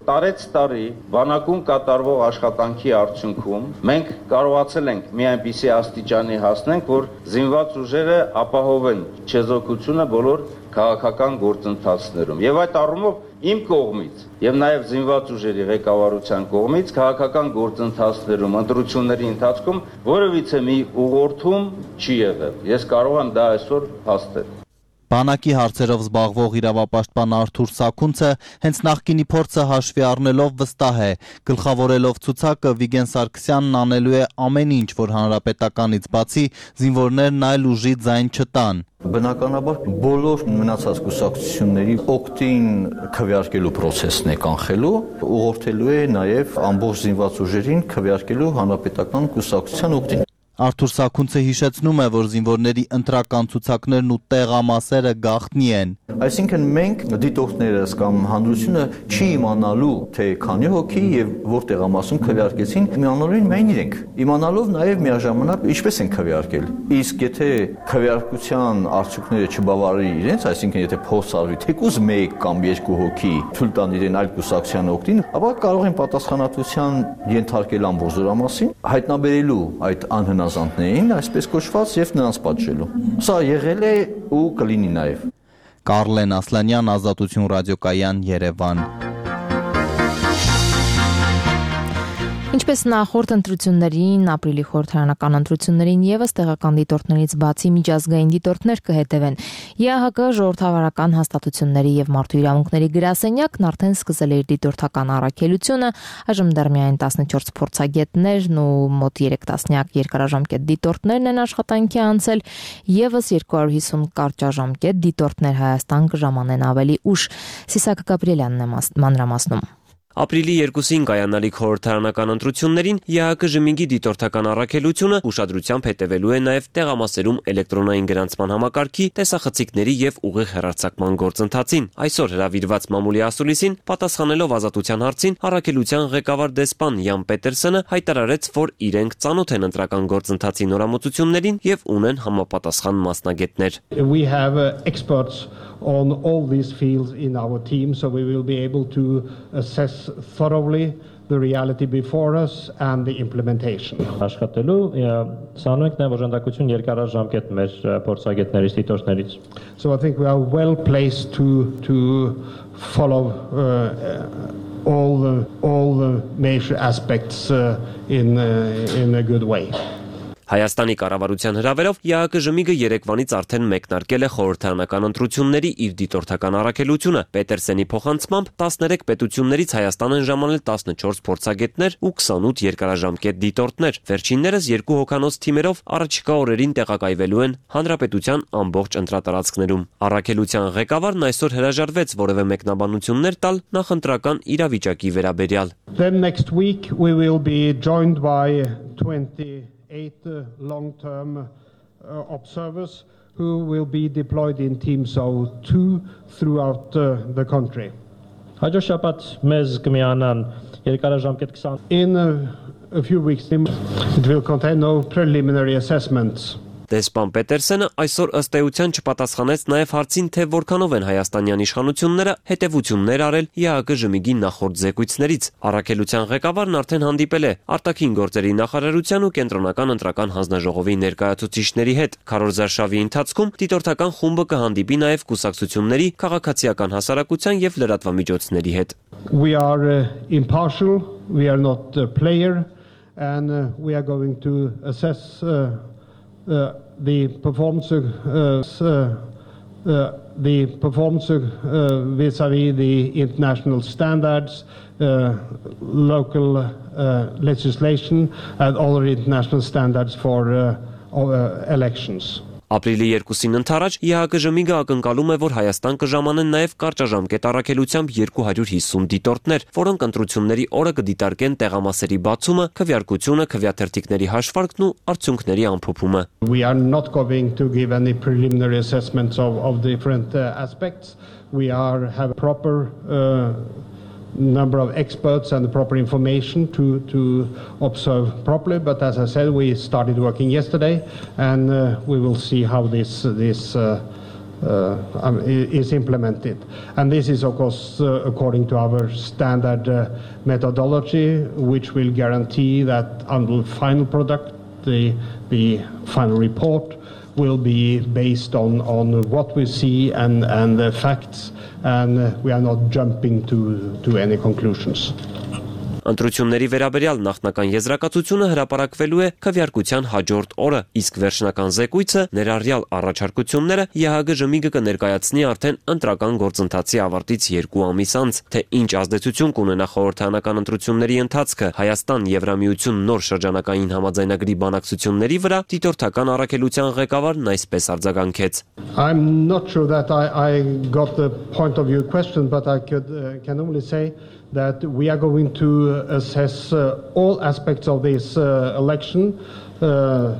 Տարեց տարի բանակում կատարվող աշխատանքի արդյունքում մենք կարողացել ենք մի այնպիսի աստիճանի հասնենք, որ զինված ուժերը ապահովեն չեզոքությունը բոլոր քաղաքական գործընթացներում։ Եվ այդ առումով իմ կողմից եւ նաեւ զինված ուժերի ղեկավարության կողմից քաղաքական գործընթացներում, ընտրությունների ընթացքում որևիցե մի ուղղորդում չի եղել։ Ես կարող եմ դա այսօր փաստել։ Բանակի հարցերով զբաղվող իրավապաշտպան Արթուր Սաքունցը հենց նախկինի փորձը հաշվի առնելով վստահ է, գլխավորելով ցուցակը Վիգեն Սարգսյանն անելու է ամեն ինչ, որ հանրապետականից բացի զինվորներն այլ ուժի ձայն չտան։ Բնականաբար բոլոր մնացած կուսակցությունների օգտին քվեարկելու process-ն է կանխելու, ուղղորդելու է նաև ամբողջ զինված ուժերին քվեարկելու հանրապետական կուսակցության օգտին։ Արթուր Սաքունցը հիշեցնում է, որ զինվորների ընտրական ցուցակներն ու տեղամասերը գաղտնի են։ Այսինքն մենք դիտորդներս կամ հանրությունը չի իմանալու, թե քանի հոգի եւ որ տեղամասում քվեարկեցին, իմանալու միայն իրենք։ Իմանալով նաեւ միաժամանակ ինչպես են քվեարկել։ Իսկ եթե քվեարկության արդյունքները չբավարարի իրենց, այսինքն եթե փորձ արվի թեկուզ մեկ կամ երկու հոգի թույլ տան իրեն այլ կուսակցության օգտին, ապա կարող են պատասխանատվության ենթարկել ամբողջ զորամասին, հայտնաբերելու այդ անհնազանդներին, այսպես կոչված, եւ նրանց պատժելու։ Սա եղել է ու կլինի նաեւ։ Կարլեն Ասլանյան, Ազատություն ռադիոկայան, Երևան։ Ինչպես նախորդ ընտրություններին, ապրիլի խորհրդարանական ընտրություններին եւս տեղական դիտորդներից բացի միջազգային դիտորդներ կհետևեն։ ԵԱՀԿ ժողովրդավարական հաստատությունների եւ մարդու իրավունքների գրասենյակն արդեն սկսել է իր դիտորդական առաքելությունը, այժմ դեռ միայն տասնչորս փորձագետներն ու մոտ երեք տասնյակ երկարաժամկետ դիտորդներն են աշխատանքի անցել, եւս երկու հարյուր հիսուն կարճաժամկետ դիտորդներ Հայաստան կժամանեն ավելի ուշ։ Սիսակ Գաբրիելյանն է մանրամասնում։ Ապրիլի երկուսին կայանալիք խորհրդարանական ընտրություններին ԵԱՀԿ ժմիգի դիտորդական առաքելությունը ուշադրությամբ հետևելու է նաև տեղամասերում էլեկտրոնային գրանցման համակարգի, տեսախցիկների եւ ուղիղ հեռարձակման գործընթացին։ Այսօր հրավիրված մամուլի ասուլիսին պատասխանելով ազատության հարցին առաքելության ղեկավար դեսպան Յան Պետերսոնը հայտարարեց, որ իրենք ծանոթ են ընտրական գործընթացի նորամուծություններին եւ ունեն համապատասխան մասնագետներ։ We have uh, experts on all these fields in our team, so we will be able to assess thoroughly the reality before us and the implementation. Աշխատելու ցանոթ ենք նաև օժանդակություն երկարաժամկետ մեր փորձագետներից, դիտորդներից. So I think we are well placed to to follow uh, all the all the major aspects uh, in uh, in a good way. Հայաստանի կառավարության հրավերով ԵԱՀԿ ժմիգը երեկվանից արդեն մեկնարկել է խորհրդարանական ընտրությունների իր դիտորդական առաքելությունը։ Պետերսենի փոխանցմամբ տասներեք պետություններից Հայաստան են ժամանել տասնչորս փորձագետներ ու քսանութ երկարաժամկետ դիտորդներ։ Վերջիններս երկու հոգանոց թիմերով առաջիկա օրերին տեղակայվելու են հանրապետության ամբողջ ընտրատարածքներում։ Առաքելության ղեկավարն այսօր հրաժարվեց որևէ մեկնաբանություններ տալ նախընտրական իրավիճակի վերաբերյալ։ Then next week we will be joined by twenty eight uh, long-term uh, observers who will be deployed in teams of two throughout uh, the country. Հաջորդ շաբաթ մեզ կմիանան երկարաժամկետ twenty In uh, a few weeks it will contain no preliminary assessments. Դեսպան Պետերսոնը այսօր ըստ էության չպատասխանեց նաև հարցին, թե որքանով են հայաստանյան իշխանությունները հետևություններ արել ԵԱՀԿ ժմիգի նախորդ զեկույցներից։ Առաքելության ղեկավարն արդեն հանդիպել է արտաքին գործերի նախարարության ու կենտրոնական ընտրական հանձնաժողովի ներկայացուցիչների հետ։ Քարոզարշավի ընթացքում դիտորդական խումբը կհանդիպի նաև կուսակցությունների, քաղաքացիական հասարակության եւ լրատվամիջոցների հետ։ We are uh, impartial, we are not a player, and uh, we are going to assess uh, Uh, the performance uh, uh, uh, the performance uh, vis-à-vis the international standards, uh, local uh, legislation and other international standards for uh, uh, elections. Ապրիլի երկուսին ընթരാճ ԵԱՀԿ ժմիգը ակնկալում է, որ Հայաստան կժամանեն նաև կարճաժամկետ առաքելությամբ two hundred fifty դիտորդներ, որոնք ընտրությունների օրը կդիտարկեն տեղամասերի բացումը, քվեարկությունը, քվեաթերթիկների հաշվարկն ու արդյունքների ամփոփումը։ We are not going to give any preliminary assessments of of different uh, aspects. We are have a proper uh, number of experts and the proper information to to observe properly, but as I said, we started working yesterday, and uh, we will see how this this uh, uh, um, is implemented. And this is of course uh, according to our standard uh, methodology, which will guarantee that on the final product, the the final report will be based on on what we see and and the facts, and we are not jumping to to any conclusions. Ընտրությունների վերաբերյալ նախնական եզրակացությունը հրապարակվելու է քվեարկության հաջորդ օրը, իսկ վերջնական զեկույցը ներառյալ առաջարկությունները ԵԱՀԿ ժմիգը կներկայացնի արդեն ընտրական գործընթացի ավարտից երկու ամիս անց, թե ինչ ազդեցություն կունենա խորհրդարանական ընտրությունների ընթացքը Հայաստան-Եվրամիություն նոր շրջանակային համաձայնագրի բանակցությունների վրա, դիտորդական առաքելության ղեկավարն այսպես արձագանքեց. I'm not sure that I I got the point of view question, but I could uh, can only say that we are going to assess uh, all aspects of this uh, election, uh,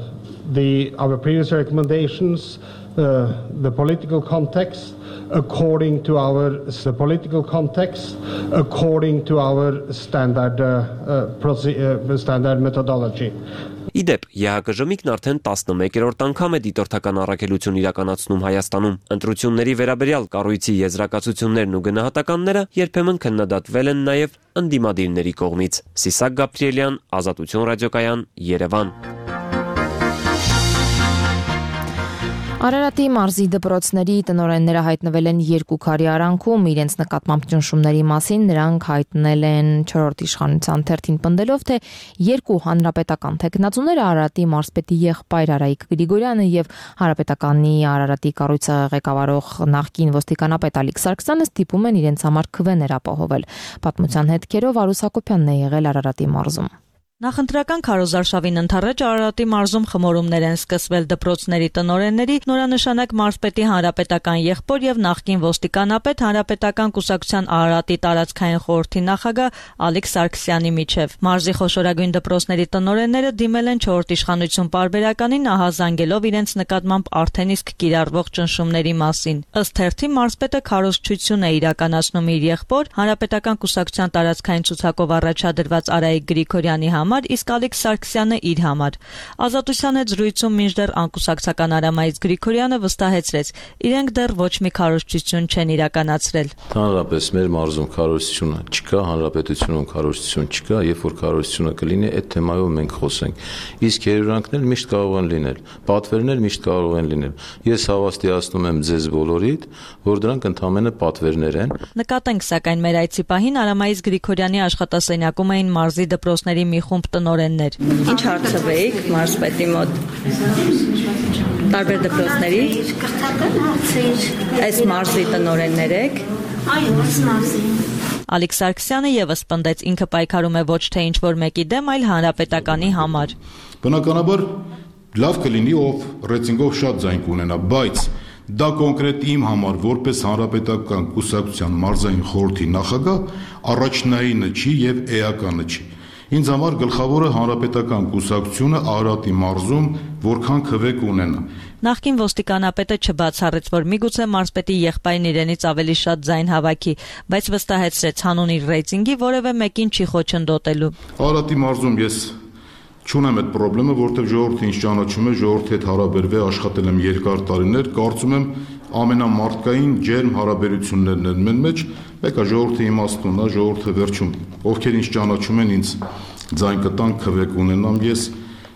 the our previous recommendations, uh, the political context, according to our the political context, according to our standard uh, uh, uh, standard methodology. Իդեպ, ԵԱՀԿ ժմիգն արդեն տասնմեկերորդ անգամ է դիտորդական առաքելություն իրականացնում Հայաստանում։ Ընտրությունների վերաբերյալ կառույցի եզրակացություններն ու գնահատականները երբեմն քննադատվել են նաև ընդդիմադիրների կողմից։ Սիսակ Գաբրիելյան, Ազատություն ռադիոկայան, Երևան։ Արարատի մարզի դպրոցների տնօրենները հայտնվել են երկու քարի արանքում իրենց նկատմամբ ճնշումների մասին, նրանք հայտնել են չորրորդ իշխանության թերթին պնդելով, թե երկու հանրապետական թեկնածուները Արարատի մարզպետի եղբայր Արայիկ Գրիգորյանը եւ Հանրապետականի Արարատի կառույցը ղեկավարող նախկին ոստիկանապետ Ալիկ Սարգսյանը ստիպում են իրենց համար քվեներ ապահովել։ Պատմության հետքերով Արուս Հակոբյանն է եղել Արարատի մարզում։ Նախընտրական քարոզարշավին ընդառաջ Արարատի մարզում խմորումներ են սկսվել դպրոցների տնօրենների, նորանշանակ մարզպետի հանրապետական եղբոր եւ նախկին ոստիկանապետ հանրապետական կուսակցության Արարատի տարածքային խորհրդի նախագահ Ալիկ Սարգսյանի միջև։ Մարզի խոշորագույն դպրոցների տնօրենները դիմել են չորրորդ իշխանություն պարբերականին ահազանգելով իրենց նկատմամբ արդեն իսկ կիրառվող ճնշումների մասին։ Ըստ թերթի մարզպետը քարոզչություն է իրականացնում իր եղբոր հանրապետական կուսակցության տարածքային ցուցակով առաջադրված Արայիկ Գրիգորյանի համար, իսկ Ալիկ Սարգսյանը իր համար։ Ազատության հետ զրույցում մինչդեռ անկուսակցական Արամայից Գրիգորյանը վստահեցրեց, իրենք դեռ ոչ մի քարոզչություն չեն իրականացրել։ Հանրապես մեր մարզում քարոզությունը չկա, հանրապետությունում քարոզություն չկա, երբ որ քարոզությունը կլինի, այդ թեմայով մենք խոսենք։ Իսկ երևանքներ միշտ կարող են լինել, պատվերներ միշտ կարող են լինել։ Ես հավաստիացնում եմ ձեզ բոլորիդ, որ դրանք ընդամենը պատվերներ են։ Նկատենք սակայն մեր այցի պահին Արամայից Գրիգորյանի աշխատասենյակում էին մարզի դպրոցների մի խումբ տնօրեններ։ Ինչ հարցվեիք մարզպետի մոտ։ Տարբեր դպրոցների։ Այս մարզի տնօրեններ եք։ Այո, այս մարզի։ Ալիկ Սարգսյանը եւս պնդեց, ինքը պայքարում է ոչ թե ինչ-որ մեկի դեմ, այլ հանրապետականի համար։ Բնականաբար լավ կլինի, ով ռեյտինգով շատ ձայն կունենա, բայց դա կոնկրետ իմ համար որպես հանրապետական կուսակցության մարզային խորհրդի նախագահ առաջնայինը չի եւ էականը չի։ Ինձ համար գլխավորը հանրապետական կուսակցությունը Արարատի մարզում որքան քվե կունենա։ Նախկին ոստիկանապետը չբացառեց, որ միգուցե մարզպետի եղբայրն իրենից ավելի շատ ձայն հավաքի, բայց վստահեցրեց հանուն իր ռեյտինգի որևէ մեկին չի խոչընդոտելու։ Արարատի մարզում ես չունեմ այդ խնդրը, որտեղ ժողովուրդը ինձ ճանաչում է, ժողովրդի հետ հարաբերվել, աշխատել եմ երկար տարիներ, կարծում եմ ամենամարտկային ջերմ հարաբերություններն են մեն մեջ, մեկը ժողովրդի իմաստունն է, ժողովուրդը վերջում, ովքեր ինձ ճանաչում են, ինձ ձայն կտան, քվե կունենամ, ես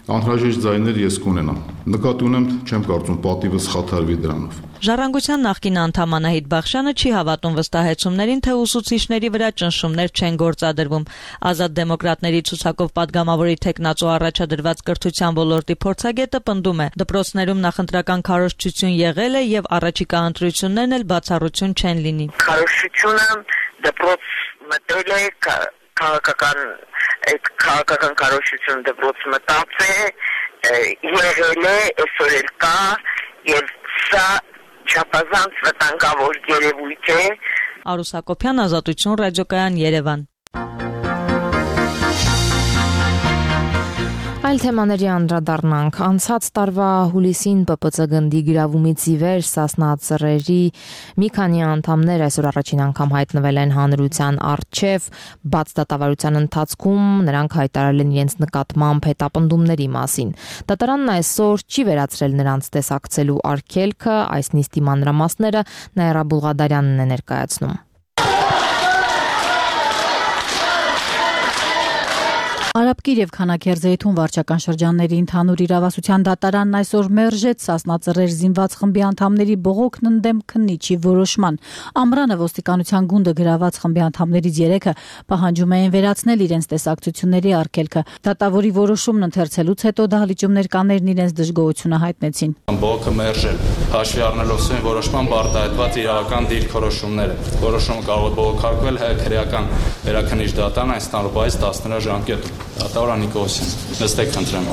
անհրաժեշտ ձայներ ես կունենամ։ Նկատի ունեմ, չեմ կարծում պատիվս խաթարվի դրանով։ Ժառանգության նախկին անդամ Անահիտ Բախշյանը չի հավատում վստահեցումներին, թե ուսուցիչների վրա ճնշումներ չեն գործադրվում։ Ազատ դեմոկրատների ցուցակով падգամավորի թեկնածու առաջադրված կրթության ոլորտի փորձագետը պնդում է, դպրոցներում նախընտրական քարոզչություն եղել է եւ առաջիկա ընտրություններն էլ բացառություն չեն լինի։ Քարոզչությունը դպրոց մտել է քաղաքական այդ քաղաքական քարոզչությունը դպրոց մտած է, եղել է, այսօր էլ կա եւ սա չափազանց վտանգավոր երևույթ է։ Արուս Հակոբյան, Ազատություն, ռադիոկայան, Երևան։ Այլ թեմաների անդրադառնանք։ Անցած տարվա հուլիսին Պ Պ Ց գնդի գրավումից ի վեր Սասնա ծռերի մի քանի անդամներ այսօր առաջին անգամ հայտնվել են հանրության առջև, բաց դատավարության ընթացքում նրանք հայտարարել են իրենց նկատմամբ հետապնդումների մասին։ Դատարանն այսօր չի վերացրել նրանց տեսակցելու արգելքը, այս նիստի մանրամասները Նաիրա Բուլղադարյանն է ներկայացնում։ Արաբկիր եւ Քանաքերձեյթուն վարչական շրջանների ընդհանուր իրավասության դատարանն այսօր մերժեց Սասնա ծռեր զինված խմբի անդամների բողոքն ընդդեմ քննիչի որոշման։ Ամռանը ոստիկանության գունդը գրաված խմբի անդամներից երեքը պահանջում էին վերացնել իրենց տեսակցությունների արգելքը։ Դատավորի որոշումն ընթերցելուց հետո դահլիճում կաներն իրենց դժգոհությունը հայտնեցին։ Բողոքը մերժել, հաշվի առնելով սույն որոշման արտահայտված իրավական դիրքորոշումները։ Որոշումը կարող է բողոքարկվել հայ քրեական վերաքննիչ դատարան այս տարվայից տասներորդ ժամկետում։ Դատավոր Նիկոսյան, նստեք խնդրեմ։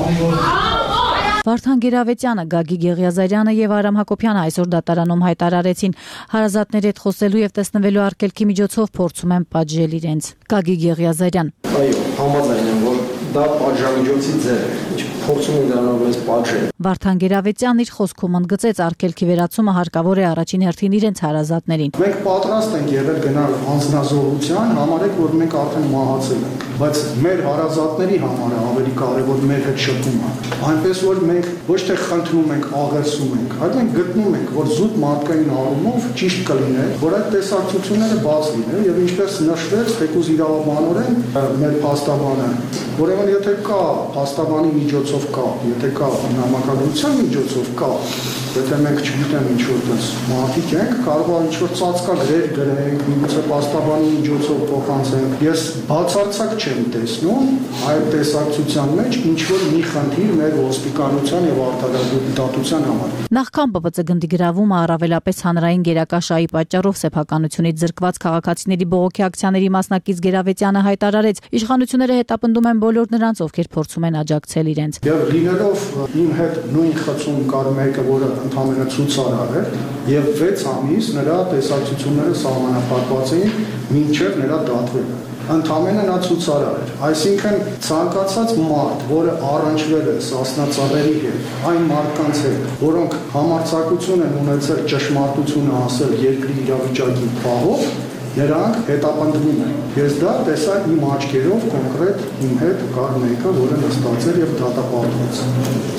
Վարդան Գերավետյանը, Գագիկ Եղիազարյանը եւ Արամ Հակոբյանը այսօր դատարանում հայտարարեցին, հարազատների հետ խոսելու եւ տեսնվելու արգելքի միջոցով փորձում են պատժել իրենց։ Գագիկ Եղիազարյան. Այո, համաձայն եմ, որ դա պատժամիջոցի ձև է, ինչ փորձում են դրանով մեզ պատժել։ Վարդան Գերավետյանն իր խոսքում ընդգծեց արգելքի վերացումը հարկավոր է առաջին հերթին իրենց հարազատներին։ Մենք պատրաստ ենք եղել գնալ անձնազոհության, համարեք, որ մենք արդեն մահացել ենք, բայց մեր հարազատների համար է ավելի կարևոր մեր հետ շփումը։ Այնպես որ մենք ոչ թե խնդրում ենք, աղերսում ենք, այլ մենք գտնում ենք, որ զուտ մարդկային առումով ճիշտ կլիներ, որ այդ տեսակցությունները բաց լինեն եւ ինչպես նշվեց, թեկուզ իրավաբանորեն մեր փաստաբանը, ուրեմն եթե կա փաստաբանի միջոցով կա, եթե կա նամակագրության միջոցով կա, եթե մենք չգիտեմ ինչ որ տես մարդիկ ենք, կարող է ինչ որ ծածկագրեր գրենք, միգուցե պաստաբանի միջոցով փոխանցենք։ Ես բացարձակ չեմ տեսնում այդ տեսակցության մեջ ինչ որ մի խնդիր մեր ոստիկանության եւ արտադրության համար։ Նախքան Պ Բ Ց գնդի գրավումը առավելապես հանրային գերակաշայի պատճառով սեփականությունից զրկված քաղաքացիների բողոքի ակցիաների մասնակից Գերավետյանը հայտարարեց, իշխանությունները հետապնդում են բոլոր նրանց, ովքեր փորձում են աջակցել իրենց։ Եվ լինելով իմ հետ նույն խցում կար մեկը, որը ընդհանրապես ցուցարար էր, եւ վեց ամիս նրա տեսակցությունները սահմանափակված էին մինչեւ նրա դատվելը։ Ընդամենը նա ցուցարար էր, այսինքն ցանկացած մարդ, որը առնչվել է սասնածառերի հետ, այն մարդկանց հետ, որոնք համարձակություն են ունեցել ճշմարտությունը ասել երկրի իրավիճակի պահով, նրանք հետապնդվում են։ Ես դա տեսա իմ աչքերով կոնկրետ իմ հետ կար մեկը, որը նստած էր եւ դատապարտված։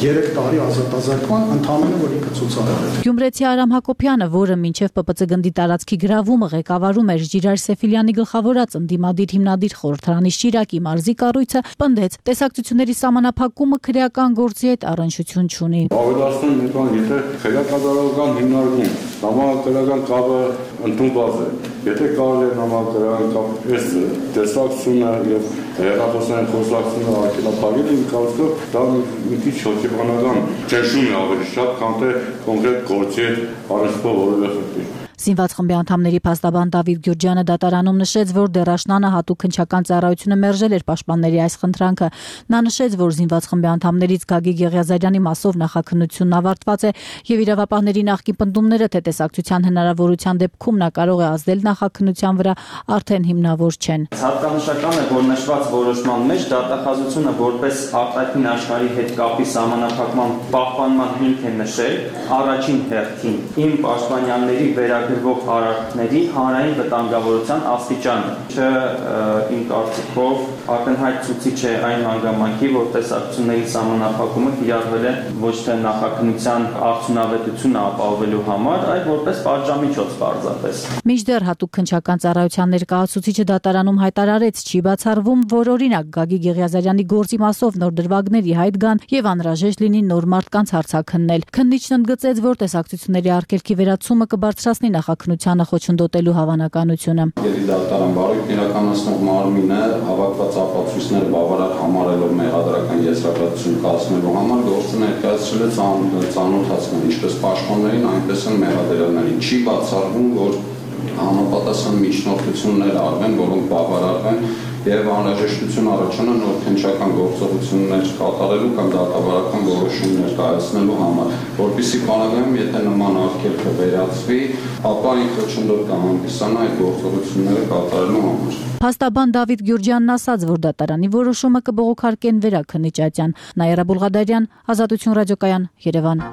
երեք տարի ազատազրկման ընդամենը որ ինքը ցուցարար էր։ Գյումրեցի Արամ Հակոբյանը, որը մինչև Պ Բ Ց գնդի տարածքի գրավումը ղեկավարում էր Ժիրայր Սեֆիլյանի գլխավորած ընդդիմադիր հիմնադիր խորհրդարանի Շիրակի մարզի կառույցը, պնդեց, տեսակցությունների սահմանափակումը քրեական գործի հետ առնչություն չունի։ Ավելացնում եմ, եթե քրեակատարողական հիմնարկում համակարգական կապը ընդունված է, եթե կարելի է համակարգական կապ այս տեսակցությունը եւ հերախոսային խոսակցությունը ակելափակել են կարծիքով դա մի քիչ հոգեբանական ճնշում է ավելի շատ, քան թե կոնկրետ գործի հետ առնչվող որևէ խնդիր։ Զինված խմբի անդամների փաստաբան Դավիթ Գյուրջյանը դատարանում նշեց, որ Դերաշնանը հատուկ քննչական ծառայությունը մերժել էր պաշտպանների այս խնդրանքը։ Նա նշեց, որ զինված խմբի անդամներից Գագիկ Եղիազարյանի մասով նախաքննությունն ավարտված է եւ իրավապահների նախկին պնդումները, թե տեսակցության հնարավորության դեպքում նա կարող է ազդել նախաքննության վրա, արդեն հիմնավոր չեն։ Հատկանշական է, որ նշված որոշման մեջ դատախազությունը որպես արտաքին աշխարհի հետ կապի սահմանափակման պահպանման հիմք է նշել առաջին հերթին իմ պաշտպանյանների վերա գրվող արարքների հանրային վտանգավորության աստիճանը, չէ իմ կարծիքով ակնհայտ ցուցիչ է այն հանգամանքի, որ տեսակցությունների սահմանափակումը կիրառվել է ոչ թե նախաքննության արդյունավետությունը ապահովելու համար, այլ որպես պատժամիջոց պարզապես։ Մինչդեռ հատուկ քննչական ծառայության ներկայացուցիչը դատարանում հայտարարեց, չի բացառվում, որ օրինակ Գագիկ Եղիազարյանի գործի մասով նոր դրվագների հայտ գան եւ անհրաժեշտ լինի նոր մարդկանց հարցաքննել։ Քննիչն ընդգծեց, որ տեսակցությունների արգելքի վերացումը կբարձրացնի նախաքննությանը խոչընդոտելու հավանականությունը։ Եթե դատարան բարույթ իրականացնող մարմինը հավաքված ապացույցները բավարար համարելով մեղադրական եզրակացություն կազմելու համար գործը ներկայացրել է ծանոթացնել ինչպես պաշտպաններին, այնպես էլ մեղադրյալներին։ Չի բացառվում, որ համապատասխան միջնորդություններ արվեն, որոնք բավարարվեն եւ անհրաժեշտություն առաջանա նոր քննչական գործողություններ կատարելու կամ դատավարական որոշումներ կայացնելու համար, որպեսզի բանալիում, եթե նման արգելքը վերացվի, ապա այն խոչընդոտ կհանդիսանա այդ գործողությունները կատարելու համար։ Փաստաբան Դավիթ Գյուրջյանն ասաց, որ դատարանի որոշումը կբողոքարկեն վերաքննիչ Ատյան։ Նաիրա Բուլղադարյան, Ազատություն ռադիոկայան, Երևան։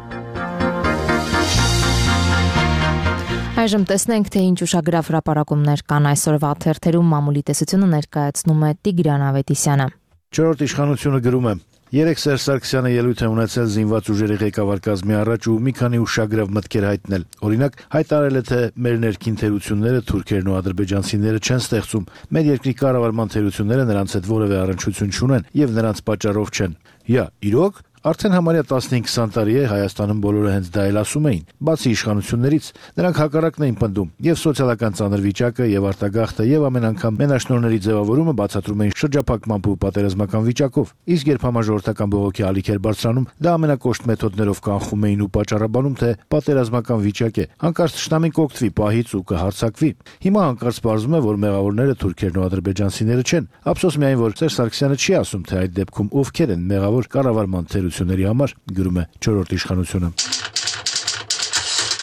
Այժմ տեսնենք, թե ինչ ուշագրավ հրապարակումներ կան այսօրվա թերթերում, մամուլի տեսությունը ներկայացնում է Տիգրան Ավետիսյանը։ Չորրորդ իշխանությունը գրում է. Երեք Սերժ Սարգսյանը ելույթ է ունեցել զինված ուժերի ղեկավար կազմի առաջ ու մի քանի ուշագրավ մտքեր հայտնել։ Օրինակ, հայտարարել է, թե մեր ներքին թերությունները թուրքերն ու ադրբեջանցիները չեն ստեղծում։ Մեր երկրի կառավարման թերությունները նրանց հետ որևէ առնչություն չունեն եւ նրանց պատճառով չեն։ Յա, իրոք Արդեն համարյա տասնհինգ քսան տարի է Հայաստանում բոլորը հենց դա էլ ասում էին, բացի իշխանություններից, նրանք հակառակն էին պնդում, եւ սոցիալական ծանր վիճակը, եւ արտագաղթը, եւ ամեն անգամ մենաշնորհների ձևավորումը բացատրում էին շրջափակման ու պատերազմական վիճակով։ Իսկ երբ համաժողովրդական բողոքի ալիք էր բարձրանում, դա ամենակոշտ մեթոդներով կանխում էին ու պատճառաբանում, թե պատերազմական վիճակ է, հանկարծ թշնամին կօգտվի պահից ու կհարձակվի։ Հիմա հանկարծ պարզվում է, որ մեղավորները թուրքերն ու ադրբեջանցիները չեն։ Ափսոս միայն, որ Սերժ Սարգսյանը չի ասում, թե այդ դեպքում ովքեր են մեղավոր կառավարման թերությունների համար, գրում է չորրորդ իշխանությունը։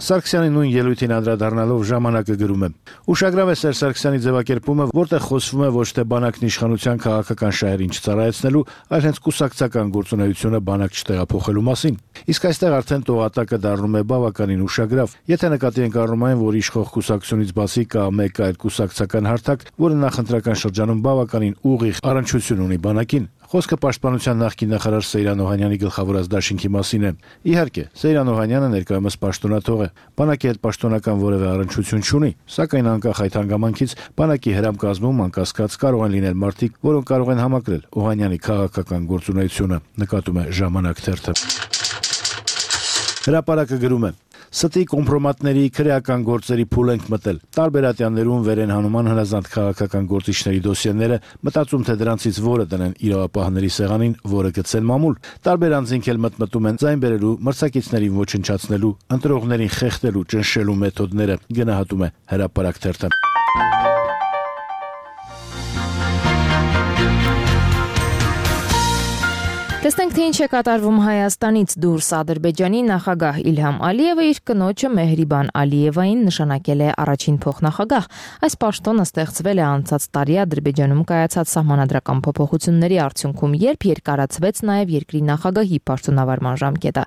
Սարգսյանի նույն ելույթին անդրադառնալով ժամանակը գրում է. Ուշագրավ է Սերժ Սարգսյանի ձևակերպումը, որտեղ խոսվում է ոչ թե բանակն իշխանության քաղաքական շահերին չծառայեցնելու, այլ հենց կուսակցական գործունեությունը բանակ չտեղափոխելու մասին։ Իսկ այստեղ արդեն տողատակը դառնում է բավականին ուշագրավ, եթե նկատի ենք առնում այն, որ իշխող կուսակցությունից բացի կա մեկ այլ կուսակցական հարթակ, որը նախընտրական շրջանում բավականին ուղիղ առնչություն ունի բանակին։ Խոսքը պաշտպանության նախկին նախարար Սեյրան Օհանյանի գլխավորած դաշինքի մասին է։ Իհարկե, Սեյրան Օհանյանը ներկայումս պաշտոնաթող է, բանակի հետ պաշտոնական որևէ առնչություն չունի, սակայն անկախ այդ հանգամանքից բանակի հրամ կազմում անկասկած կարող են լինել մարդիկ, որոնք կարող են համակրել Օհանյանի քաղաքական գործունեությունը, նկատում է Ժամանակ թերթը։ Հրապարակը գրում է. Ստի կոմպրոմատների քրեական գործերի փուլ ենք մտել։ Տարբեր ատյաններում վեր են հանում հնազանդ քաղաքական գործիչների դոսիեները, մտածում թե դրանցից որը դնեն իրավապահների սեղանին, որը գցեն մամուլ։ Տարբեր անձինք էլ մտմտում են ձայն բերելու, մրցակիցներին ոչնչացնելու, ընտրողներին խեղդելու, ճնշելու մեթոդները, գնահատում է Հրապարակ թերթը։ Տեսնենք, թե ինչ է կատարվում Հայաստանից դուրս։ Ադրբեջանի նախագահ Իլհամ Ալիևը իր կնոջը Մեհրիբան Ալիևային նշանակել է առաջին փոխնախագահ։ Այս պաշտոնը ստեղծվել է անցած տարի Ադրբեջանում կայացած սահմանադրական փոփոխությունների արդյունքում, երբ երկարացվեց նաև երկրի նախագահի պաշտոնավարման ժամկետը։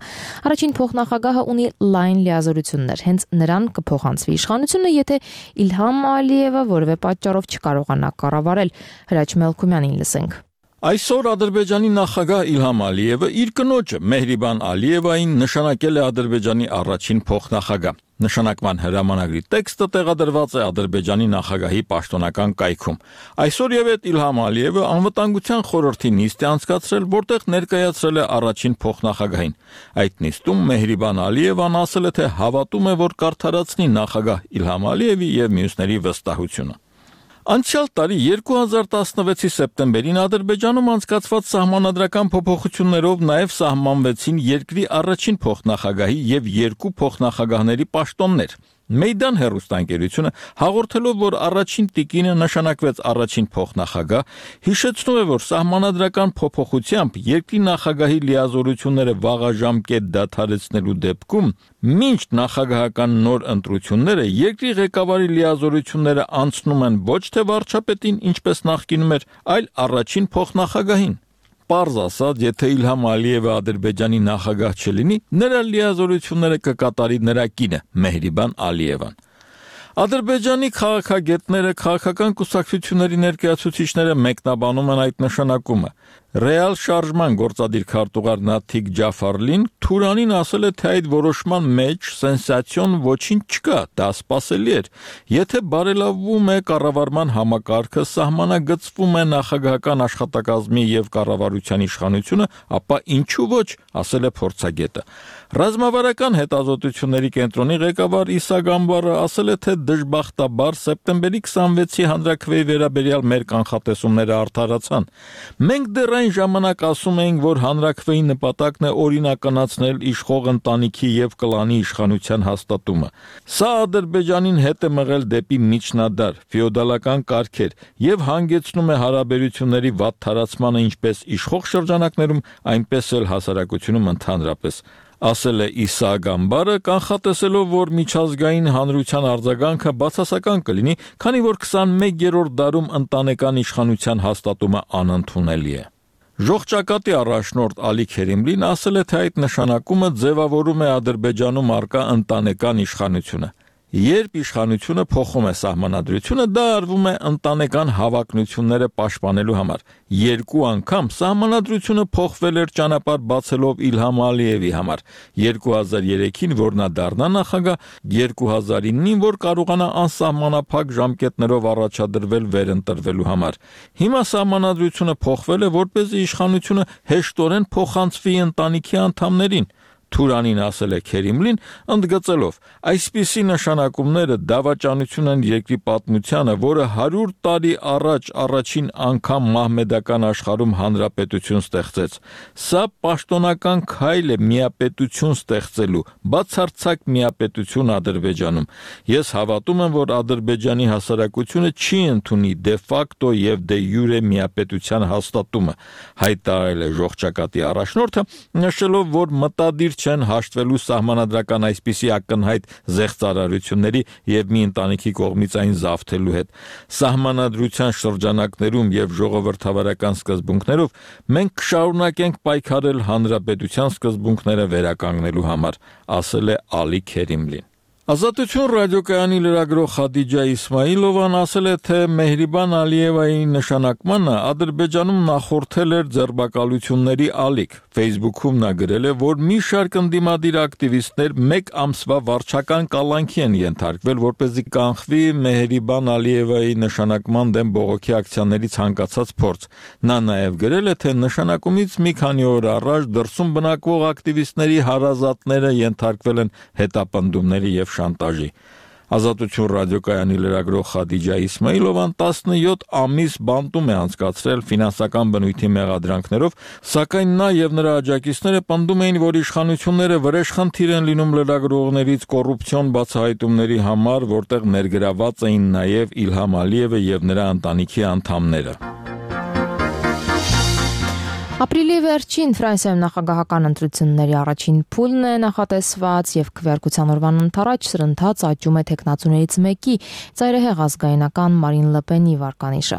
Առաջին փոխնախագահը ունի լայն լիազորություններ, հենց նրան կփոխանցվի իշխանությունը, եթե Իլհամ Ալիևը որևէ պատճառով չկարողանա կառավարել։ Հրաչ Մելքումյանին լսենք։ Այսօր Ադրբեջանի նախագահ Իլհամ Ալիևը իր կնոջը Մեհրիբան Ալիևային նշանակել է Ադրբեջանի առաջին փոխնախագահ։ Նշանակման հրամանագրի տեքստը տեղադրված է Ադրբեջանի նախագահի պաշտոնական կայքում։ Այսօր եւ այդ Իլհամ Ալիևը անվտանգության խորհրդի նիստ է անցկացրել, որտեղ ներկայացրել է առաջին փոխնախագահին։ Այդ նիստում Մեհրիբան Ալիևան ասել է, թե հավատում է, որ կարդարացնի նախագահ Իլհամ Ալիևի եւ մյուսների վստահությունը։ Անցյալ տարի երկու հազար տասնվեցի սեպտեմբերին Ադրբեջանում անցկացված սահմանադրական փոփոխություններով նաև սահմանվեցին երկրի առաջին փոխնախագահի եւ երկու փոխնախագահների պաշտոններ։ Մեյդան հեռուստաընկերությունը հաղորդելով, որ առաջին տիկինը նշանակվեց առաջին փոխնախագահ, հիշեցնում է, որ սահմանադրական փոփոխությամբ երկրի նախագահի լիազորությունները վաղաժամկետ դադարեցնելու դեպքում մինչ նախագահական նոր ընտրությունները երկրի ղեկավարի լիազորությունները անցնում են ոչ թե վարչապետին, ինչպես նախկինում էր, այլ առաջին փոխնախագահին։ Պարզ ասած, եթե Իլհամ Ալիևը Ադրբեջանի նախագահ չլինի, նրա լիազորությունները կկատարի նրա կինը Մեհրիբան Ալիևան։ Ադրբեջանի քաղաքագետները, քաղաքական կուսակցությունների ներկայացուցիչները մեկնաբանում են այդ նշանակումը։ Ռեալ շարժման գործադիր քարտուղար Նաթիկ Ջաֆարլին Թուրանին ասել է, թե այդ որոշման մեջ սենսացիոն ոչինչ չկա, դա սպասելի էր։ Եթե բարելավվում է կառավարման համակարգը, սահմանագծվում է նախագահական աշխատակազմի եւ կառավարության իշխանությունը, ապա ինչու ոչ, ասել է փորձագետը։ Ռազմավարական հետազոտությունների կենտրոնի ղեկավար Իսա Գամբարը ասել է, թե դժբախտաբար սեպտեմբերի քսանվեցի հանրաքվեի վերաբերյալ մեր կանխատեսումները արդարացան։ Մենք դեռ այն ժամանակ ասում էինք, որ հանրաքվեի նպատակն է օրինականացնել իշխող ընտանիքի եւ կլանի իշխանության հաստատումը։ Սա Ադրբեջանին հետ է մղել դեպի միջնադար, ֆեոդալական կարգեր եւ հանգեցնում է հարաբերությունների վատթարացմանը ինչպես իշխող շրջանակներում, այնպես էլ հասարակությունում ընդհանրապես։ Ասել է Իսա Գամբարը, կանխատեսելով, որ միջազգային հանրության արձագանքը բացասական կլինի, քանի որ քսանմեկերորդ դարում ընտանեկան իշխանության հաստատումը անընդունելի է։ Ժողջակատի առաջնորդ Ալի Քերիմլին ասել է, թե այդ նշանակումը ձևավորում է Ադրբեջանում առկա ընտանեկան իշխանությունը։ Երբ իշխանությունը փոխում է սահմանադրությունը, դա արվում է ընտանեկան հավակնությունները պաշտպանելու համար։ Երկու անգամ սահմանադրությունը փոխվել էր ճանապարհ բացելով Իլհամ Ալիևի համար։ երկու հազար երեքին, որ նա դառնա նախագահ, երկու հազար իննին, որ կարողանա անսահմանափակ ժամկետներով առաջադրվել վերընտրվելու համար։ Հիմա սահմանադրությունը փոխվել է, որպեսզի իշխանությունը հեշտորեն փոխանցվի ընտանիքի անդամներին։ Թուրանին ասել է Քերիմլին, ընդգծելով. այսպիսի նշանակումները դավաճանություն են երկրի պատմությանը, որը հարյուր տարի առաջ առաջին անգամ մահմեդական աշխարհում հանրապետություն ստեղծեց։ Սա պաշտոնական քայլ է միապետություն ստեղծելու, բացարձակ միապետություն Ադրբեջանում։ Ես հավատում եմ, որ Ադրբեջանի հասարակությունը չի ընդունի դե ֆակտո եւ դե յուրե միապետության հաստատումը, հայտարարել է ժողջակատի առաջնորդը, նշելով, որ մտադիր չեն հաշտվելու սահմանադրական այսպիսի ակնհայտ զեղծարարությունների եւ մի ընտանիքի կողմից այն զավթելու հետ։ Սահմանադրության շրջանակներում եւ ժողովրդավարական սկզբունքներով մենք կշարունակենք պայքարել հանրապետության սկզբունքները վերականգնելու համար, ասել է Ալի Քերիմլին։ Ազատություն ռադիոկայանի լրագրող Խադիջա Իսմայիլովան ասել է, թե Մեհրիբան Ալիևայի նշանակմանը Ադրբեջանում նախորդել էր ձերբակալությունների ալիք։ Facebook-ում նա գրել է, որ մի շարք ընդդիմադիր ակտիվիստներ մեկ ամսվա վարչական կալանքի են ենթարկվել, որպեսզի կանխվի Մեհրիբան Ալիևայի նշանակման դեմ բողոքի ակցիաների ցանկացած փորձ։ Նա նաև գրել է, թե նշանակումից մի քանի օր առաջ դրսում բնակվող ակտիվիստների հարազատները ենթարկվել են հետապնդումների եւ շանտաժի։ Ազատություն ռադիոկայանի լրագրող Խադիջա Իսմայիլովան տասնյոթ ամիս բանտում է անցկացրել ֆինանսական բնույթի մեղադրանքներով, սակայն նա եւ նրա աջակիցները պնդում էին, որ իշխանությունները վրեժխնդիր են լինում լրագրողներից կոռուպցիոն բացահայտումների համար, որտեղ ներգրաված էին նաեւ Իլհամ Ալիևը եւ նրա ընտանիքի անդամները։ Ապրիլի վերջին Ֆրանսիայում նախագահական ընտրությունների առաջին փուլն է նախատեսված եւ քվեարկության օրվան ընթരാճ սրընթաց աճում է տեխնացուներից մեկի ծայրահեղ ազգայնական Մարին Լեպենի վարկանիշը։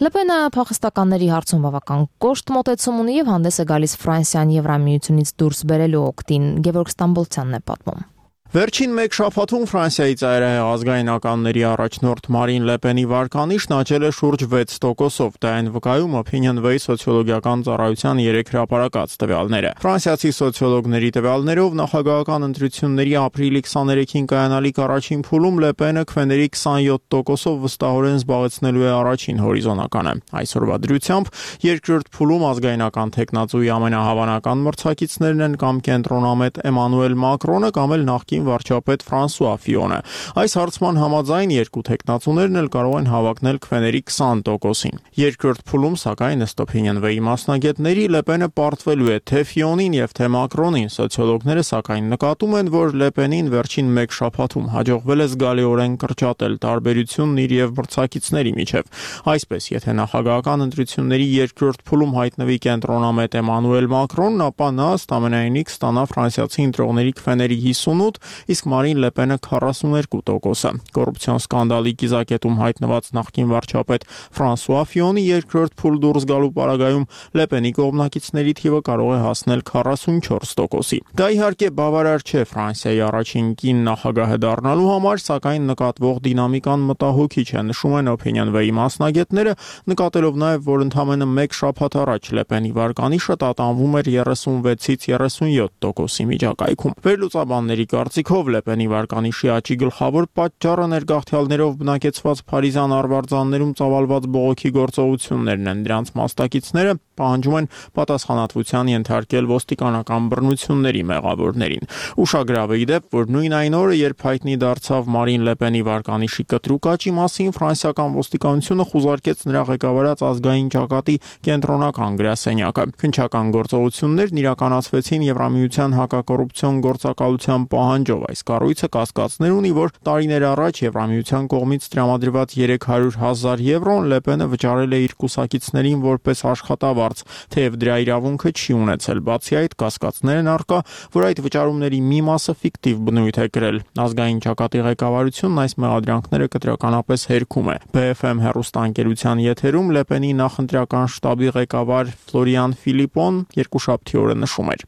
Լեպենը փախստականների հարցում բավական կոշտ մոտեցում ունի եւ հանդես է գալիս Ֆրանսիան Եվրամիությունից դուրս բերելու օգտին։ Գևորգ Ստամբոլցյանն է պատմում։ Վերջին մեկ շաբաթում Ֆրանսիայի ծայրահեղ ազգայնականների առաջնորդ Մարին Լեպենի վարկանիշն աճել է շուրջ վեց տոկոսով, դա այն վկայում Opinionway սոցիոլոգիական ծառայության երեք հրապարակած տվյալները։ Ֆրանսիացի սոցիոլոգների տվյալներով նախագահական ընտրությունների ապրիլի քսաներեքին կայանալիք առաջին փուլում Լեպենը քվեների քսանյոթ տոկոսով վստահորեն զբաղեցնելու է առաջին հորիզոնականը։ Այսօրվա դրությամբ երկրորդ փուլում ազգայնական տեխնացուի ամենահավանական մրցակիցներն են կամ կենտրոնամետ Էմանուել Մակրոնը կամ էլ նախկին վարչապետ Ֆրանսուଆ Ֆիոնը։ Այս հարցման համաձայն երկու տեխնացուներն էլ կարող են հավակնել քվեների քսան տոկոսին։ Երկրորդ փուլում, սակայն ըստ Opinionway մասնագետների, Լեպենը պարտվելու է թե Ֆիոնին եւ թե Մակրոնին։ Սոցիոլոգները սակայն նկատում են, որ Լեպենին վերջին մեկ շաբաթում հաջողվել է զգալիորեն կրճատել տարբերությունն իր եւ մրցակիցների միջև։ Այսպես, եթե նախագահական ընտրությունների երկրորդ փուլում հայտնվի կենտրոնամետ Էմանուել Մակրոնն, ապա նա ըստ ամենայնի կստանա ֆրանսիացի ընտրողների քվեների հիսունութ, իսկ Մարին Լեպենը քառասուններկու տոկոսը։ Կոռուպցիոն սկանդալի կիզակետում հայտնված նախկին վարչապետ Ֆրանսուଆ Ֆիոնի երկրորդ փուլ դուրս գալու պարագայում Լեպենի կողմնակիցների թիվը կարող է հասնել քառասունչորս տոկոսի։ Դա իհարկե բավարար չէ Ֆրանսիայի առաջին կին նախագահը դառնալու համար, սակայն նկատվող դինամիկան մտահոգիչ է, նշում են Opinionway մասնագետները, նկատելով նաև, որ ընդամենը մեկ շաբաթ առաջ Լեպենի վարկանիշը տատանվում էր երեսունվեցից երեսունյոթ տոկոսի միջակայքում։ Վերլուծաբանների կարծիքով Լեպենի վարկանիշի աճի գլխավոր պատճառը ներգաղթյալներով բնակեցված Փարիզյան արվարձաններում ծավալված բողոքի գործողություններն են։ Դրանց մասնակիցները պահանջում են պատասխանատվության ենթարկել ոստիկանական բռնությունների մեղավորներին։ Ուշագրավ է ի դեպ, որ նույն այն օրը, երբ հայտնի դարձավ Մարին Լեպենի վարկանիշի կտրուկ աճի մասին, ֆրանսիական ոստիկանությունը խուզարկեց նրա ղեկավարած ազգային ճակատի կենտրոնական գրասենյակը։ Քննչական գործողություններն իրականացվեցին Եվրամիության հակակոռուպցիոն գործակալության պահանջով։ Այս կառույցը կասկածներ ունի, որ տարիներ առաջ Եվրամիության կողմից տրամադրված երեք հարյուր հազար եվրոն Լեպենը վճարել է իր կուսակիցներին որպես աշխատավարձ, թեև դրա իրավունքը չի ունեցել։ Բացի այդ, կասկածներ են առկա, որ այդ վճարումների մի մասը ֆիկտիվ բնույթ է կրել։ Ազգային ճակատի ղեկավարությունն այս մեղադրանքները կտրականապես հերքում է։ B F M հեռուստաընկերության եթերում Լեպենի նախընտրական շտաբի ղեկավար Ֆլորիան Ֆիլիպոն երկուշաբթի օրը նշում էր.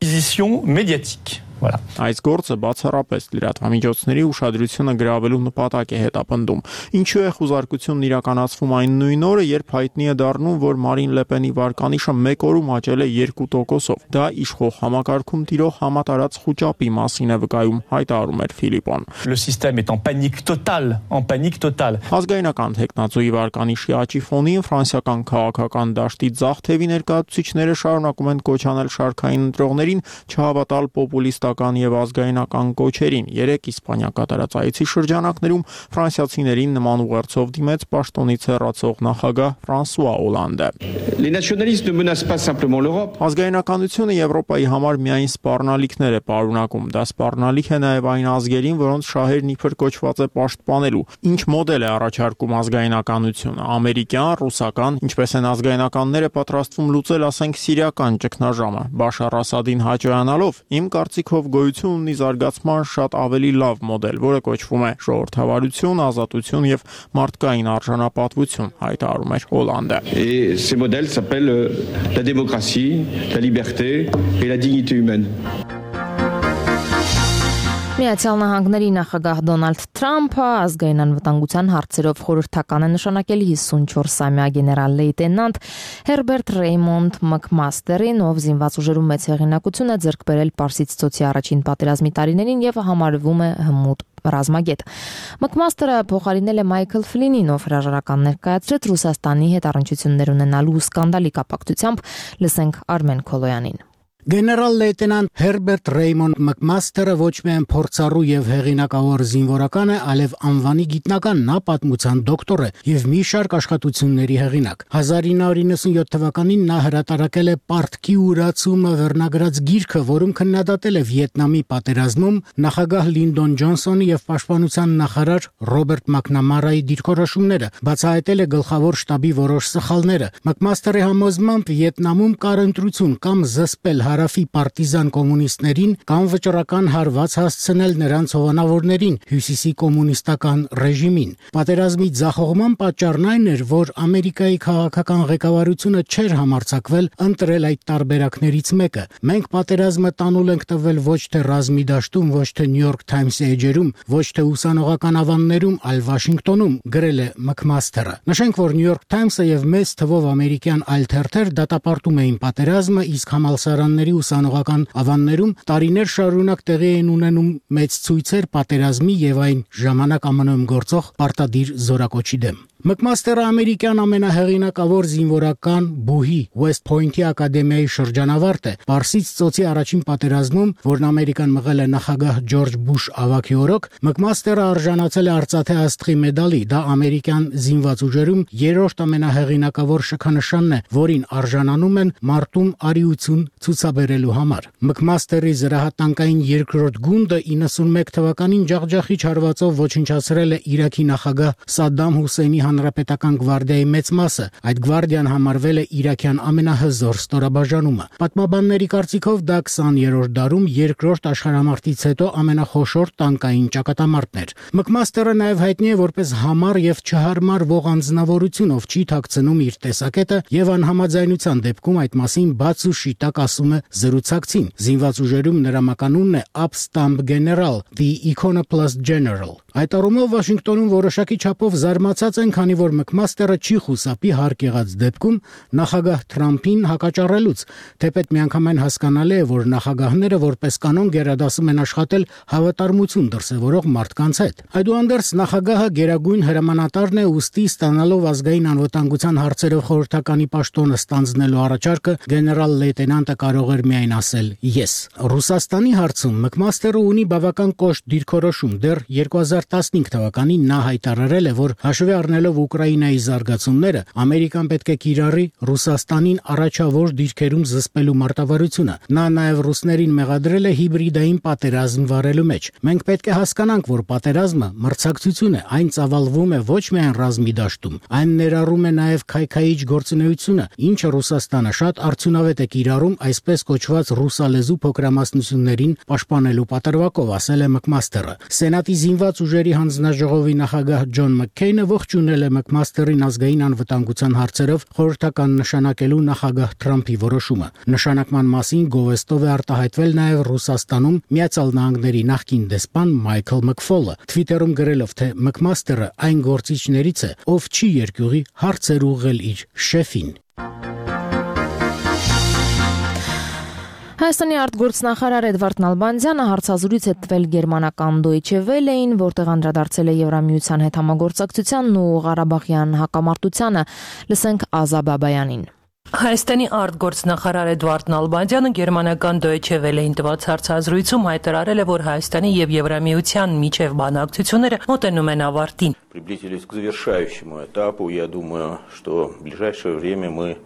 médiatique. Voilà. Այս գործը բացառապես լրատվամիջոցների ուշադրությունը գրավելու նպատակ է հետապնդում։ Ինչու է խուզարկությունն իրականացվում այն նույն օրը, երբ հայտնի է դառնում, որ Մարին Լեպենի վարկանիշը մեկ օրում աճել է երկու տոկոսով։ Դա իշխող համակարգում տիրող համատարած խուճապի մասին է վկայում, հայտարարում էր Ֆիլիպոն։ Le système est en panique totale, en panique totale. Ազգայնական տեխնացուի վարկանիշի աճի ֆոնին ֆրանսիական քաղաքական դաշտի ձախ թևի ներկայացուցիչները շարունակում են կոչ անել շարքային ընտրողներին չհավատալ պոպուլիստական եւ ազգայնական կոչերին։ Երեք Իսպանիա կատարած այցի շրջանակներում ֆրանսիացիներին նման ուղերձով դիմեց պաշտոնից հեռացող նախագահ Ֆրանսուଆ Օլանդը։ Les nationalistes ne menacent pas simplement l'Europe. Ազգայնականությունը Եվրոպայի համար միայն սպառնալիքներ է պարունակում։ Դա սպառնալիք է նաեւ այն ազգերին, որոնց շահերն իբր կոչված է պաշտպանելու։ Ինչ մոդել է առաջարկում ազգայնականությունը՝ ամերիկյան, ռուսական, ինչպես են ազգայնականները պատրաստվում լուծել, ասենք, սիրիական ճգնաժամը։ Բաշար Ասադին հաջողանալով, իմ կարծիքով գոյություն ունի զարգացման շատ ավելի լավ մոդել, որը կոչվում է ժողովրդավարություն, ազատություն եւ մարդկային արժանապատվություն, հայտարարում էր Օլանդը։ Et ces modèles s'appellent la démocratie, la liberté et la dignité humaine. Միացյալ Նահանգների նախագահ Դոնալդ Թրամփը ազգային անվտանգության հարցերով խորհրդական է նշանակել հիսունչորսամյա գեներալ լեյտենանտ Հերբերտ Ռեյմոնդ Մակմաստերին, ով զինված ուժերում մեծ հեղինակություն է ձեռք բերել Պարսից ծոցի առաջին պատերազմի տարիներին եւ համարվում է հմուտ ռազմագետ։ Մակմաստերը փոխարինել է Մայքլ Ֆլինին, ով հրաժարական ներկայացրեց Ռուսաստանի հետ առնչություններ ունենալու սկանդալի կապակցությամբ, լսենք Արմեն Քոլոյանին։ Գեներալ լեյտենանտ Հերբերտ Ռեյմոնդ Մակմաստերը ոչ միայն փորձառու եւ հեղինակավոր զինվորական է, այլև անվանի գիտնական, նա պատմության դոկտոր է եւ մի շարք աշխատությունների հեղինակ։ հազար ինը հարյուր նվեցանյոթ թվականին նա հրատարակել է Պարտքի ուրացումը վերնագրած գիրքը, որում քննադատել է Վիետնամի պատերազմում նախագահ Լինդոն Ջոնսոնի եւ պաշտպանության նախարար Ռոբերտ Մակնամարայի դիրքորոշումները, բացահայտել է գլխավոր շտաբի որոշ սխալները։ Մակմաստերի համոզմամբ Վիետնամում կար ընտրություն կամ զսպել հարավի պարտիզան կոմունիստներին կամ վճռական հարված հասցնել նրանց հովանավորներին, հյուսիսի կոմունիստական ռեժիմին։ Պատերազմի ձախողման պատճառն այն էր, որ Ամերիկայի քաղաքական ղեկավարությունը չէր համարձակվել ընտրել այդ տարբերակներից մեկը։ Մենք պատերազմը տանուլ ենք տվել ոչ թե ռազմի դաշտում, ոչ թե Նյու Յորք Թայմսի էջերում, ոչ թե ուսանողական ավաններում, այլ Վաշինգտոնում, գրել է Մակմաստերը։ Նշենք, որ Նյու Յորք Թայմսը եւ մեծ թվով ամերիկյան այլ թերթեր դատապարտում էին պատերազմը, իսկ համալսարանների ուսանողական ավաններում տարիներ շարունակ տեղի էին ունենում մեծ ցույցեր պատերազմի եւ այն ժամանակ ԱՄՆ -ում գործող պարտադիր զորակոչի դեմ։ Մակմաստերը ամերիկյան ամենահեղինակավոր զինվորական բուհի West Point-ի ակադեմիայի շրջանավարտ է։ Պարսից ծոցի առաջին պատերազմում, որն Ամերիկան մղել է նախագահ Ջորջ Բուշ ավագի օրոք, Մակմաստերը արժանացել է Արծաթե աստղի մեդալի, դա ամերիկյան զինված ուժերում երրորդ ամենահեղինակավոր շքանշանն է, որին արժանանում են մարտում արիություն ցուցաբերելու համար։ Մակմաստերի զրահատանկային երկրորդ գունդը իննսունմեկ թվականին ջախջախիչ հարվածով ոչնչացրել է Իրաքի նախագահ Սադդամ Հուսեյնի Հանրապետական գվարդիայի մեծ մասը։ Այդ գվարդիան համարվել է իրաքյան ամենահզոր ստորաբաժանումը։ Պատմաբանների կարծիքով դա քսաներորդ դարում երկրորդ աշխարհամարտից հետո ամենախոշոր տանկային ճակատամարտն էր։ Մակմաստերը նաև հայտնի է որպես համառ եւ չհարմար ող անձնավորություն, ով չի թաքցնում իր տեսակետը եւ անհամաձայնության դեպքում այդ մասին բաց ու շիտակ ասում է զրուցակցին։ Զինված ուժերում նրա մականունն է Upstump General, the Iconoclast General։ Այդ առումով Վաշինգտոնում որոշակի չափով զարմացած են, քանի որ Մակմաստերը չի խուսափի հարկ եղած դեպքում նախագահ Թրամփին հակաճառելուց, թեպետ միանգամայն հասկանալի է, որ նախագահները որպես կանոն գերադասում են աշխատել հավատարմություն դրսևորող մարդկանց հետ։ Այդուհանդերձ նախագահը գերագույն հրամանատարն է, ուստի ստանալով ազգային անվտանգության հարցերով խորհրդականի պաշտոնը ստանձնելու առաջարկը գեներալ լեյտենանտը կարող էր միայն ասել «ես»։ Ռուսաստանի հարցում Մակմաստերը ունի բավական կոշտ դիրքորոշում։ Դեռ երկու հազար տասնհինգ թվականին նա հայտարարել է, որ հաշվի առնելով Ուկրաինայի զարգացումները, Ամերիկան պետք է կիրառի Ռուսաստանին առաջավոր դիրքերում զսպելու մարտավարությունը։ Նա նաև ռուսներին մեղադրել է հիբրիդային պատերազմ վարելու մեջ։ Մենք պետք է հասկանանք, որ պատերազմը մրցակցություն է, այն ծավալվում է ոչ միայն ռազմի դաշտում, այն ներառում է նաև քայքայիչ գործունեությունը, ինչը Ռուսաստանը շատ արդյունավետ է կիրառում այսպես կոչված ռուսալեզու փոքրամասնություններին պաշտպանելու պատրվակով, ասել է Մակմաստերը։ Սենատի զինված ուժերի հանձնաժողովի նախագահ Ջոն Մաքքեյնը ողջունել է Մակմաստերին ազգային անվտանգության հարցերով խորհրդական նշանակելու նախագահ Թրամփի որոշումը։ Նշանակման մասին գովեստով է արտահայտվել նաև Ռուսաստանում Միացյալ Նահանգների նախկին դեսպան Մայքլ Մքֆոլը, Twitter-ում գրելով, թե Մակմաստերը այն գործիչներից է, ով չի երկյուղի հարցեր ուղղել իր շեֆին։ Հայաստանի արտգործնախարար Էդվարդ Նալբանդյանը հարցազրույց է տվել գերմանական Deutsche Welle-ին, որտեղ անդրադարձել է Եվրամիության հետ համագործակցությանն ու Ղարաբաղյան հակամարտությանը։ Լսենք Ազա Բաբայանին։ Հայաստանի արտգործնախարար Էդվարդ Նալբանդյանը գերմանական Deutsche Welle-ին տված հարցազրույցում հայտարարել է, որ Հայաստանի եւ Եվրամիության միջև բանակցությունները մոտենում են ավարտին։ Приблизились к завершающему этапу. Я думаю, что в ближайшее время мы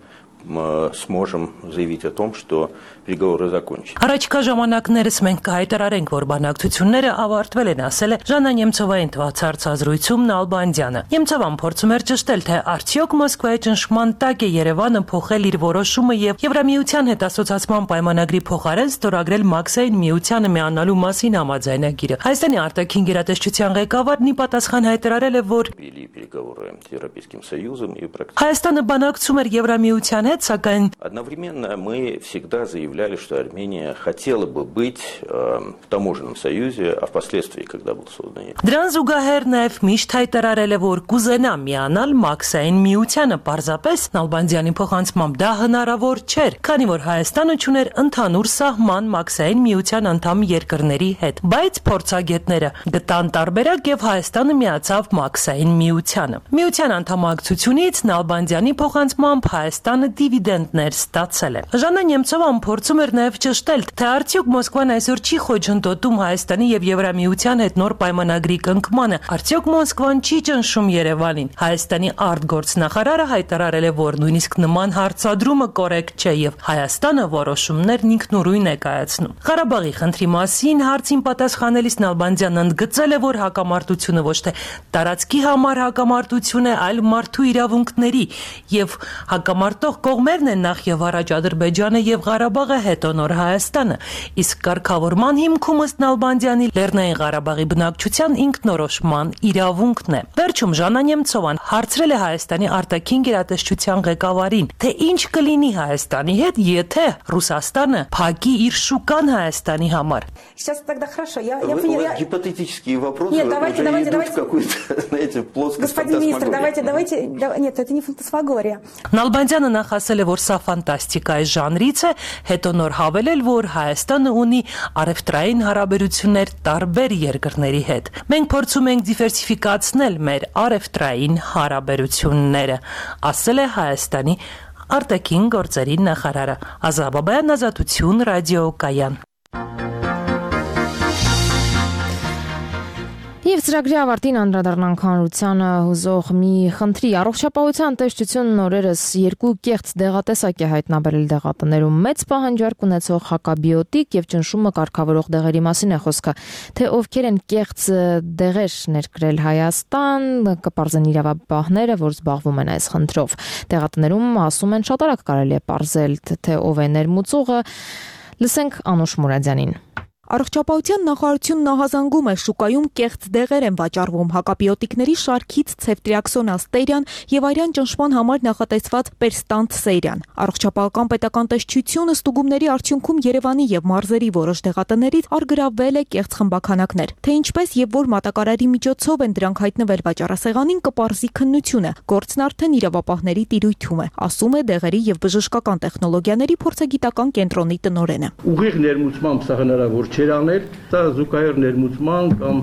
сможем заявить о том, что переговоры закончены. Առաջկա ժամանակներս մենք կհայտարարենք, որ բանակցությունները ավարտվել են, ասել է Ժաննա Նեմցովային տված հարցազրույցում Նալբանդյանը։ Նեմցովան փորձում էր ճշտել, թե արդյոք Մոսկվայի ճնշման տակ է Երևանը փոխել իր որոշումը եւ Եվրամիության հետ ասոցիացման պայմանագրի փոխարեն ստորագրել Մաքսային միությանը միանալու մասին համաձայնագիրը։ Հայաստանի արտաքին գերատեսչության ղեկավարն ի պատասխան հայտարարել է, որ переговоры с Европейским Союзом и Հայաստանը բանակցում էր Եվրամիության հետ, սակայն Одновременно мы всегда заявляли, что Армения хотела бы быть э, в таможенном союзе, а впоследствии, когда был создан. Դրան զուգահեռ նաև միշտ հայտարարել է, որ կուզենա միանալ Մաքսային միությանը, պարզապես Նալբանդյանի փոխանցմամբ դա հնարավոր չէր, քանի որ Հայաստանը ուներ ընդհանուր սահման Մաքսային միության անդամ երկրների հետ, բայց փորձագետները գտան տարբերակ եւ Հայաստանը միացավ Մաքսային միությանը։ Միության անդամակցությունից Նալբանդյանի փոխանցմամբ Հայաստանը դիվիդենդներ ստացել է։ Ժաննա Նեմցովան փորձում էր նաև ճշտել, թե արդյոք Մոսկվան այսօր չի խոչընդոտում Հայաստանի եւ Եվրամիության հետ նոր պայմանագրի կնքմանը, արդյոք Մոսկվան չի ճնշում Երևանին։ Հայաստանի արտգործնախարարը հայտարարել է, որ նույնիսկ նման հարցադրումը կորեկտ չէ եւ Հայաստանը որոշումներն ինքնուրույն է կայացնում։ Ղարաբաղի խնդրի մասին հարցին պատասխանելիս Նալբանդյանն ընդգծել է, որ հակամարտությունը ոչ թե տարածքի համար հակամարտություն է, այլ մարդու իրավունքների եւ հակամարտող կողմերն են նախ եւ առաջ Ադրբեջանը եւ Ղարաբաղը, հետո նոր Հայաստանը, իսկ կարգավորման հիմքում ըստ Նալբանդյանի Լեռնային Ղարաբաղի բնակչության ինքնորոշման իրավունքն է։ Վերջում Ժաննա Նեմցովան հարցրել է Հայաստանի արտաքին գերատեսչության ղեկավարին, թե ինչ կլինի Հայաստանի հետ, եթե Ռուսաստանը փակի իր շուկան Հայաստանի համար։ Сейчас тогда хорошо. Я, Вы, я поняла. я... Гипотетические вопросы. Нет, давайте, уже давайте, идут давайте. в какую-то, знаете, плоскость Господин министр, фантасмагории. давайте, давайте. Да, нет, это не фантасмагория. Նալբանդյանը նախ ասել է, որ սա ֆանտաստիկայի ժանրից է, հետո նոր հավելել, որ Հայաստանը ունի առևտրային հարաբերություններ տարբեր երկրների հետ։ Մենք փորձում ենք դիվերսիֆիկացնել մեր առևտրային հարաբերությունները, ասել է Հայաստանի արտաքին գործերի նախարարը։ Ազատաբայան, Ազատություն, ռադիոկայան։ Եվ ծրագրի ավարտին անդրադառնանք հանրությանը հուզող մի խնդրի։ Առողջապահության տեսչությունն օրերս երկու կեղծ դեղատեսակ է հայտնաբերել դեղատներում։ Մեծ պահանջարկ ունեցող հակաբիոտիկ եւ ճնշումը կարգավորող դեղերի մասին է խոսքը։ Թե ովքեր են կեղծ դեղեր ներկրել Հայաստան, կպարզեն իրավապահները, որ զբաղվում են այս խնդրով։ Դեղատներում ասում են շատ արագ կարելի է պարզել, թե ով է ներմուծողը։ Լսենք Անուշ Մուրադյանին։ Առողջապահության նախարարությունն ահազանգում է, շուկայում կեղծ դեղեր են վաճառվում, հակաբիոտիկների շարքից ցեֆտրիաքսոն աստերիան եւ արյան ճնշման համար նախատեսված պերստանտ սերիան։ Առողջապահական պետական տեսչությունը ստուգումների արդյունքում Երևանի եւ մարզերի որոշ դեղատներից արգրավվել է կեղծ խմբաքանակներ։ Թե ինչպես եւ որ մատակարարի միջոցով են դրանք հայտնվել վաճառասեղանին, կպարզի քննությունը։ Գործն արդեն իրավապահների տիրույթում է, ասում է դեղերի եւ բժշկական տեխնոլոգիաների փորձագիտական կենտրոնի տնօրենը։ Ուղիղ ներմուծմամբ սա հնարավոր չէր անել, սա զուգահեռ ներմուծման կամ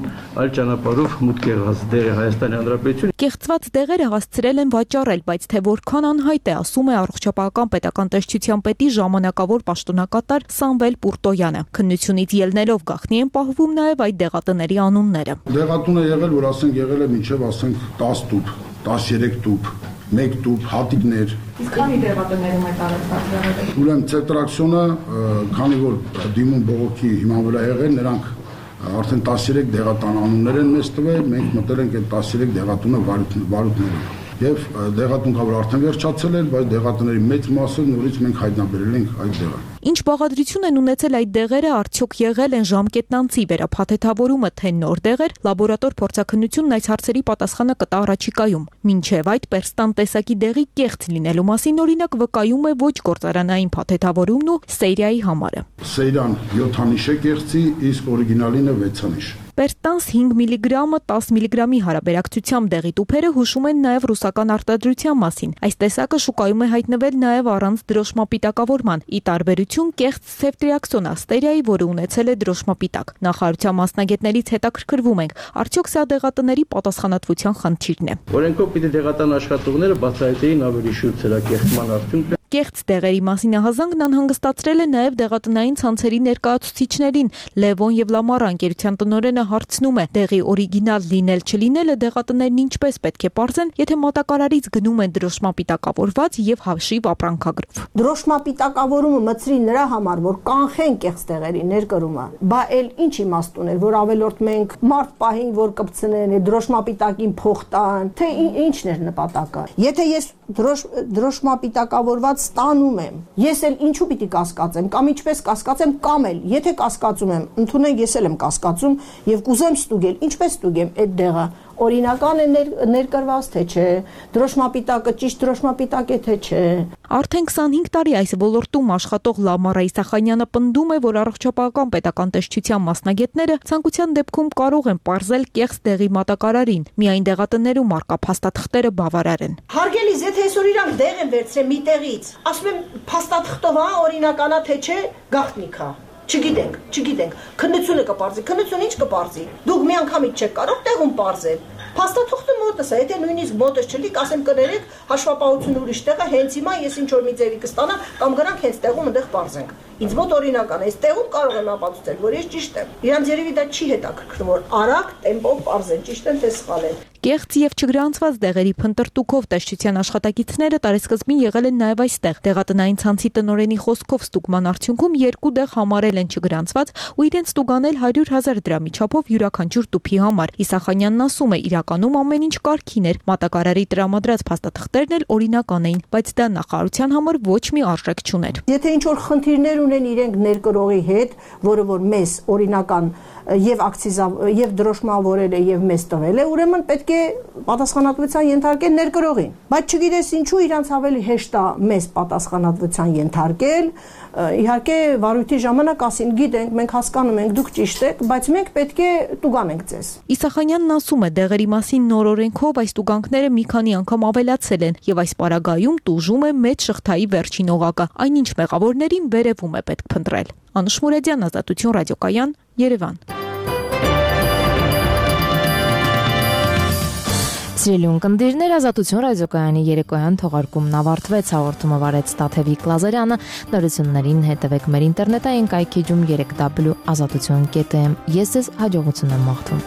այլ ճանապարհով մուտք եղած դեղը Հայաստանի Հանրապետություն։ Կեղծված դեղերը հասցրել են վաճառել, բայց թե որքան անհայտ է, ասում է առողջապահական պետական տեսչության պետի ժամանակավոր պաշտոնակատար Սամվել Պուրտոյանը։ Քննությունից ելնելով գաղտնի են պահվում նաև այդ դեղատների անունները։ Դեղատուն է եղել, որ ասենք եղել է մինչև ասենք տասը տուփ, տասներեք տուփ, մեկ տուփ, հատիկներ։ Իսկ քանի դեղատներում է տարածված։ Ուրեմն ցետրաքսոնը, քանի որ դիմում բողոքի հիման վրա եղել, նրանք արդեն տասներեք դեղատան անուններ են մեզ տվել, մենք մտել ենք այդ տասներեք դեղատունը վարույթներով։ Եվ դեղատուն կա որ արդեն վերջացել էր, բայց դեղատների մեծ մասը նորից մենք հայտնաբերել ենք այդ դեղը։ Ինչ բաղադրություն են ունեցել այդ դեղերը, արդյոք եղել են ժամկետնանցի վերափաթեթավորումը, թե նոր դեղեր, լաբորատոր փորձաքննությունն այս հարցերի պատասխանը կտա առաջիկայում։ Մինչև այդ պերստան տեսակի դեղի կեղծ լինելու մասին օրինակ վկայում է ոչ գործարանային փաթեթավորումն ու սերիայի համարը։ Սերիան յոթանիշ է կեղծի, իսկ օրիգինալինը վեցանիշ։ Պերստանս հինգ միլիգրամը տասը միլիգրամի հարաբերակցությամբ դեղի տուփերը հուշում են նաև ռուսական արտադրության մասին։ Այս տեսակը շուկայում է հայտնվել նաև առանց դրոշմապիտակավորման՝ ի տարբերություն կեղծ ցեֆտրիաքսոն աստերիայի, որը ունեցել է դրոշմապիտակ։ Նախարարության մասնագետներից հետաքրքրվում ենք, արդյոք սա դեղատների պատասխանատվության խնդիրն է։ Օրենքով պիտի դեղատան աշխատողները բացահայտեին ավելի շուտ սրա կեղծման արդյունքը։ Կեղծ դեղերի մասին ահազանգն անհանգստացրել է նաև դեղատնային ցանցերի ներկայացուցիչներին։ Լևոն եւ Լամարա ընկերության տնօրենը հարցնում է. դեղի օրիգինալ լինել չլինելը դեղատներն ինչպես պետք է պարզեն, եթե մատակարարից գնում են դրոշմապիտակավորված եւ հաշիվ ապրանքագրով։ Դրոշմապիտակավորումը մցրի նրա համար, որ կանխեն կեղծ դեղերի ներկրումը։ Բա էլ ինչ իմաստ ուներ, որ ավելորդ մենք մարդ պահին, որ կպցնեն, դրոշմապիտակին փող տան, թե ինչն էր նպատակը։ Եթե ես դրոշմապիտակավորված ստանում եմ, ես էլ ինչու պիտի կասկածեմ, կամ ինչպես կասկածեմ, կամ էլ եթե կասկածում եմ, ընդունեք ես էլ եմ կասկածում եւ կուզեմ ստուգել, ինչպես ստուգեմ այդ դեղը, օրինական է ներ, ներկրված թե չէ, դրոշմապիտակը ճիշտ դրոշմապիտակ է թե չէ։ Արդեն քսանհինգ տարի այս ոլորտում աշխատող Լամարա Իսախանյանը պնդում է, որ առողջապահական պետական տեսչության մասնագետները ցանկության դեպքում կարող են պարզել կեղծ դեղի մատակարարին, միայն դեղատներում առկա փաստաթղթերը բավարար են։ Հարգելիս, եթե այսօր իրանք դեղ են վերցրել մի տեղից, ասում եմ փաստաթղթով հա օրինականա թե չէ, գաղտնիք է։ Չգիտենք, չգիտենք։ Քննությունը կպարզի, քննությունը ինչ կպարզի։ Դուք մի անգամից չեք կարող տեղում պարզել։ Փաստաթուղթը մոտս է, եթե նույնիսկ մոտս չլիկ, ասեմ կներեք, հաշվապահությունը ուրիշ տեղ է, հենց հիմա ես ինչ որ մի ձևի կստանամ, կամ գրանք հենց տեղում այնտեղ պարզենք։ Ինձ մոտ օրինական է, այս տեղում կարող եմ ապացուցել, որ ես ճիշտ եմ։ Իրանց երևի դա չի հետաքրքրում, որ արագ տեմպով պարզեն, ճիշտ են թե սխալ են։ Կեղծ եւ չգրանցված դեղերի փնտրտուքով տեսչության աշխատակիցները տարեսկզբին եղել են նաեւ այստեղ։ Դեղատնային ցանցի տնօրենի խոսքով ստուգման արդյունքում երկու դեղ համարել են չգրանցված ու իրենց ստուգանել հարյուր հազար դրամի չափով յուրաքանչյուր տուփի համար։ Իսախանյանն ասում է, իրականում ամեն ինչ կարգին էր, մատակարարի տրամադրած փաստաթղթերն էլ օրինական էին, բայց դա նախարարության համար ոչ մի արժեք չուներ։ Եթե ինչ որ խնդիրներ ունեն իրենք ներկրողի հետ, որը որ մեզ օրինական եւ ակցիզա եւ դրոշմավորել է եւ մեզ տվել է, ուրեմն պետք է պատասխանատվության ենթարկել ներկրողին։ Բայց չգիտես ինչու իրանց ավելի հեշտ է մեզ պատասխանատվության ենթարկել։ Իհարկե վարույթի ժամանակ ասին, գիտենք, մենք հասկանում ենք, դուք ճիշտ եք, բայց մենք պետք է տուգանենք ձեզ։ Իսախանյանն ասում է, դեղերի մասին նոր օրենքով այս տուգանքները մի քանի անգամ ավելացել են եւ այս պարագայում տուժում է մեծ շղթայի վերջին օղակը, այնինչ մեղավորներին վերևում է պետք փնտրել։ Անուշ Մուրադյան, Ազատություն ռադիոկայան, Երևան։ Սիրելի ունկնդիրներ, Ազատություն ռադիոկայանի երեկոյան թողարկումն ավարտվեց, հաղորդումը վարեց Տաթևիկ Լազարյանը, նորություններին հետևեք մեր ինտերնետային կայքեջում երեք w ազատություն կետ am։ Ես ձեզ հաջողություն եմ մաղթում։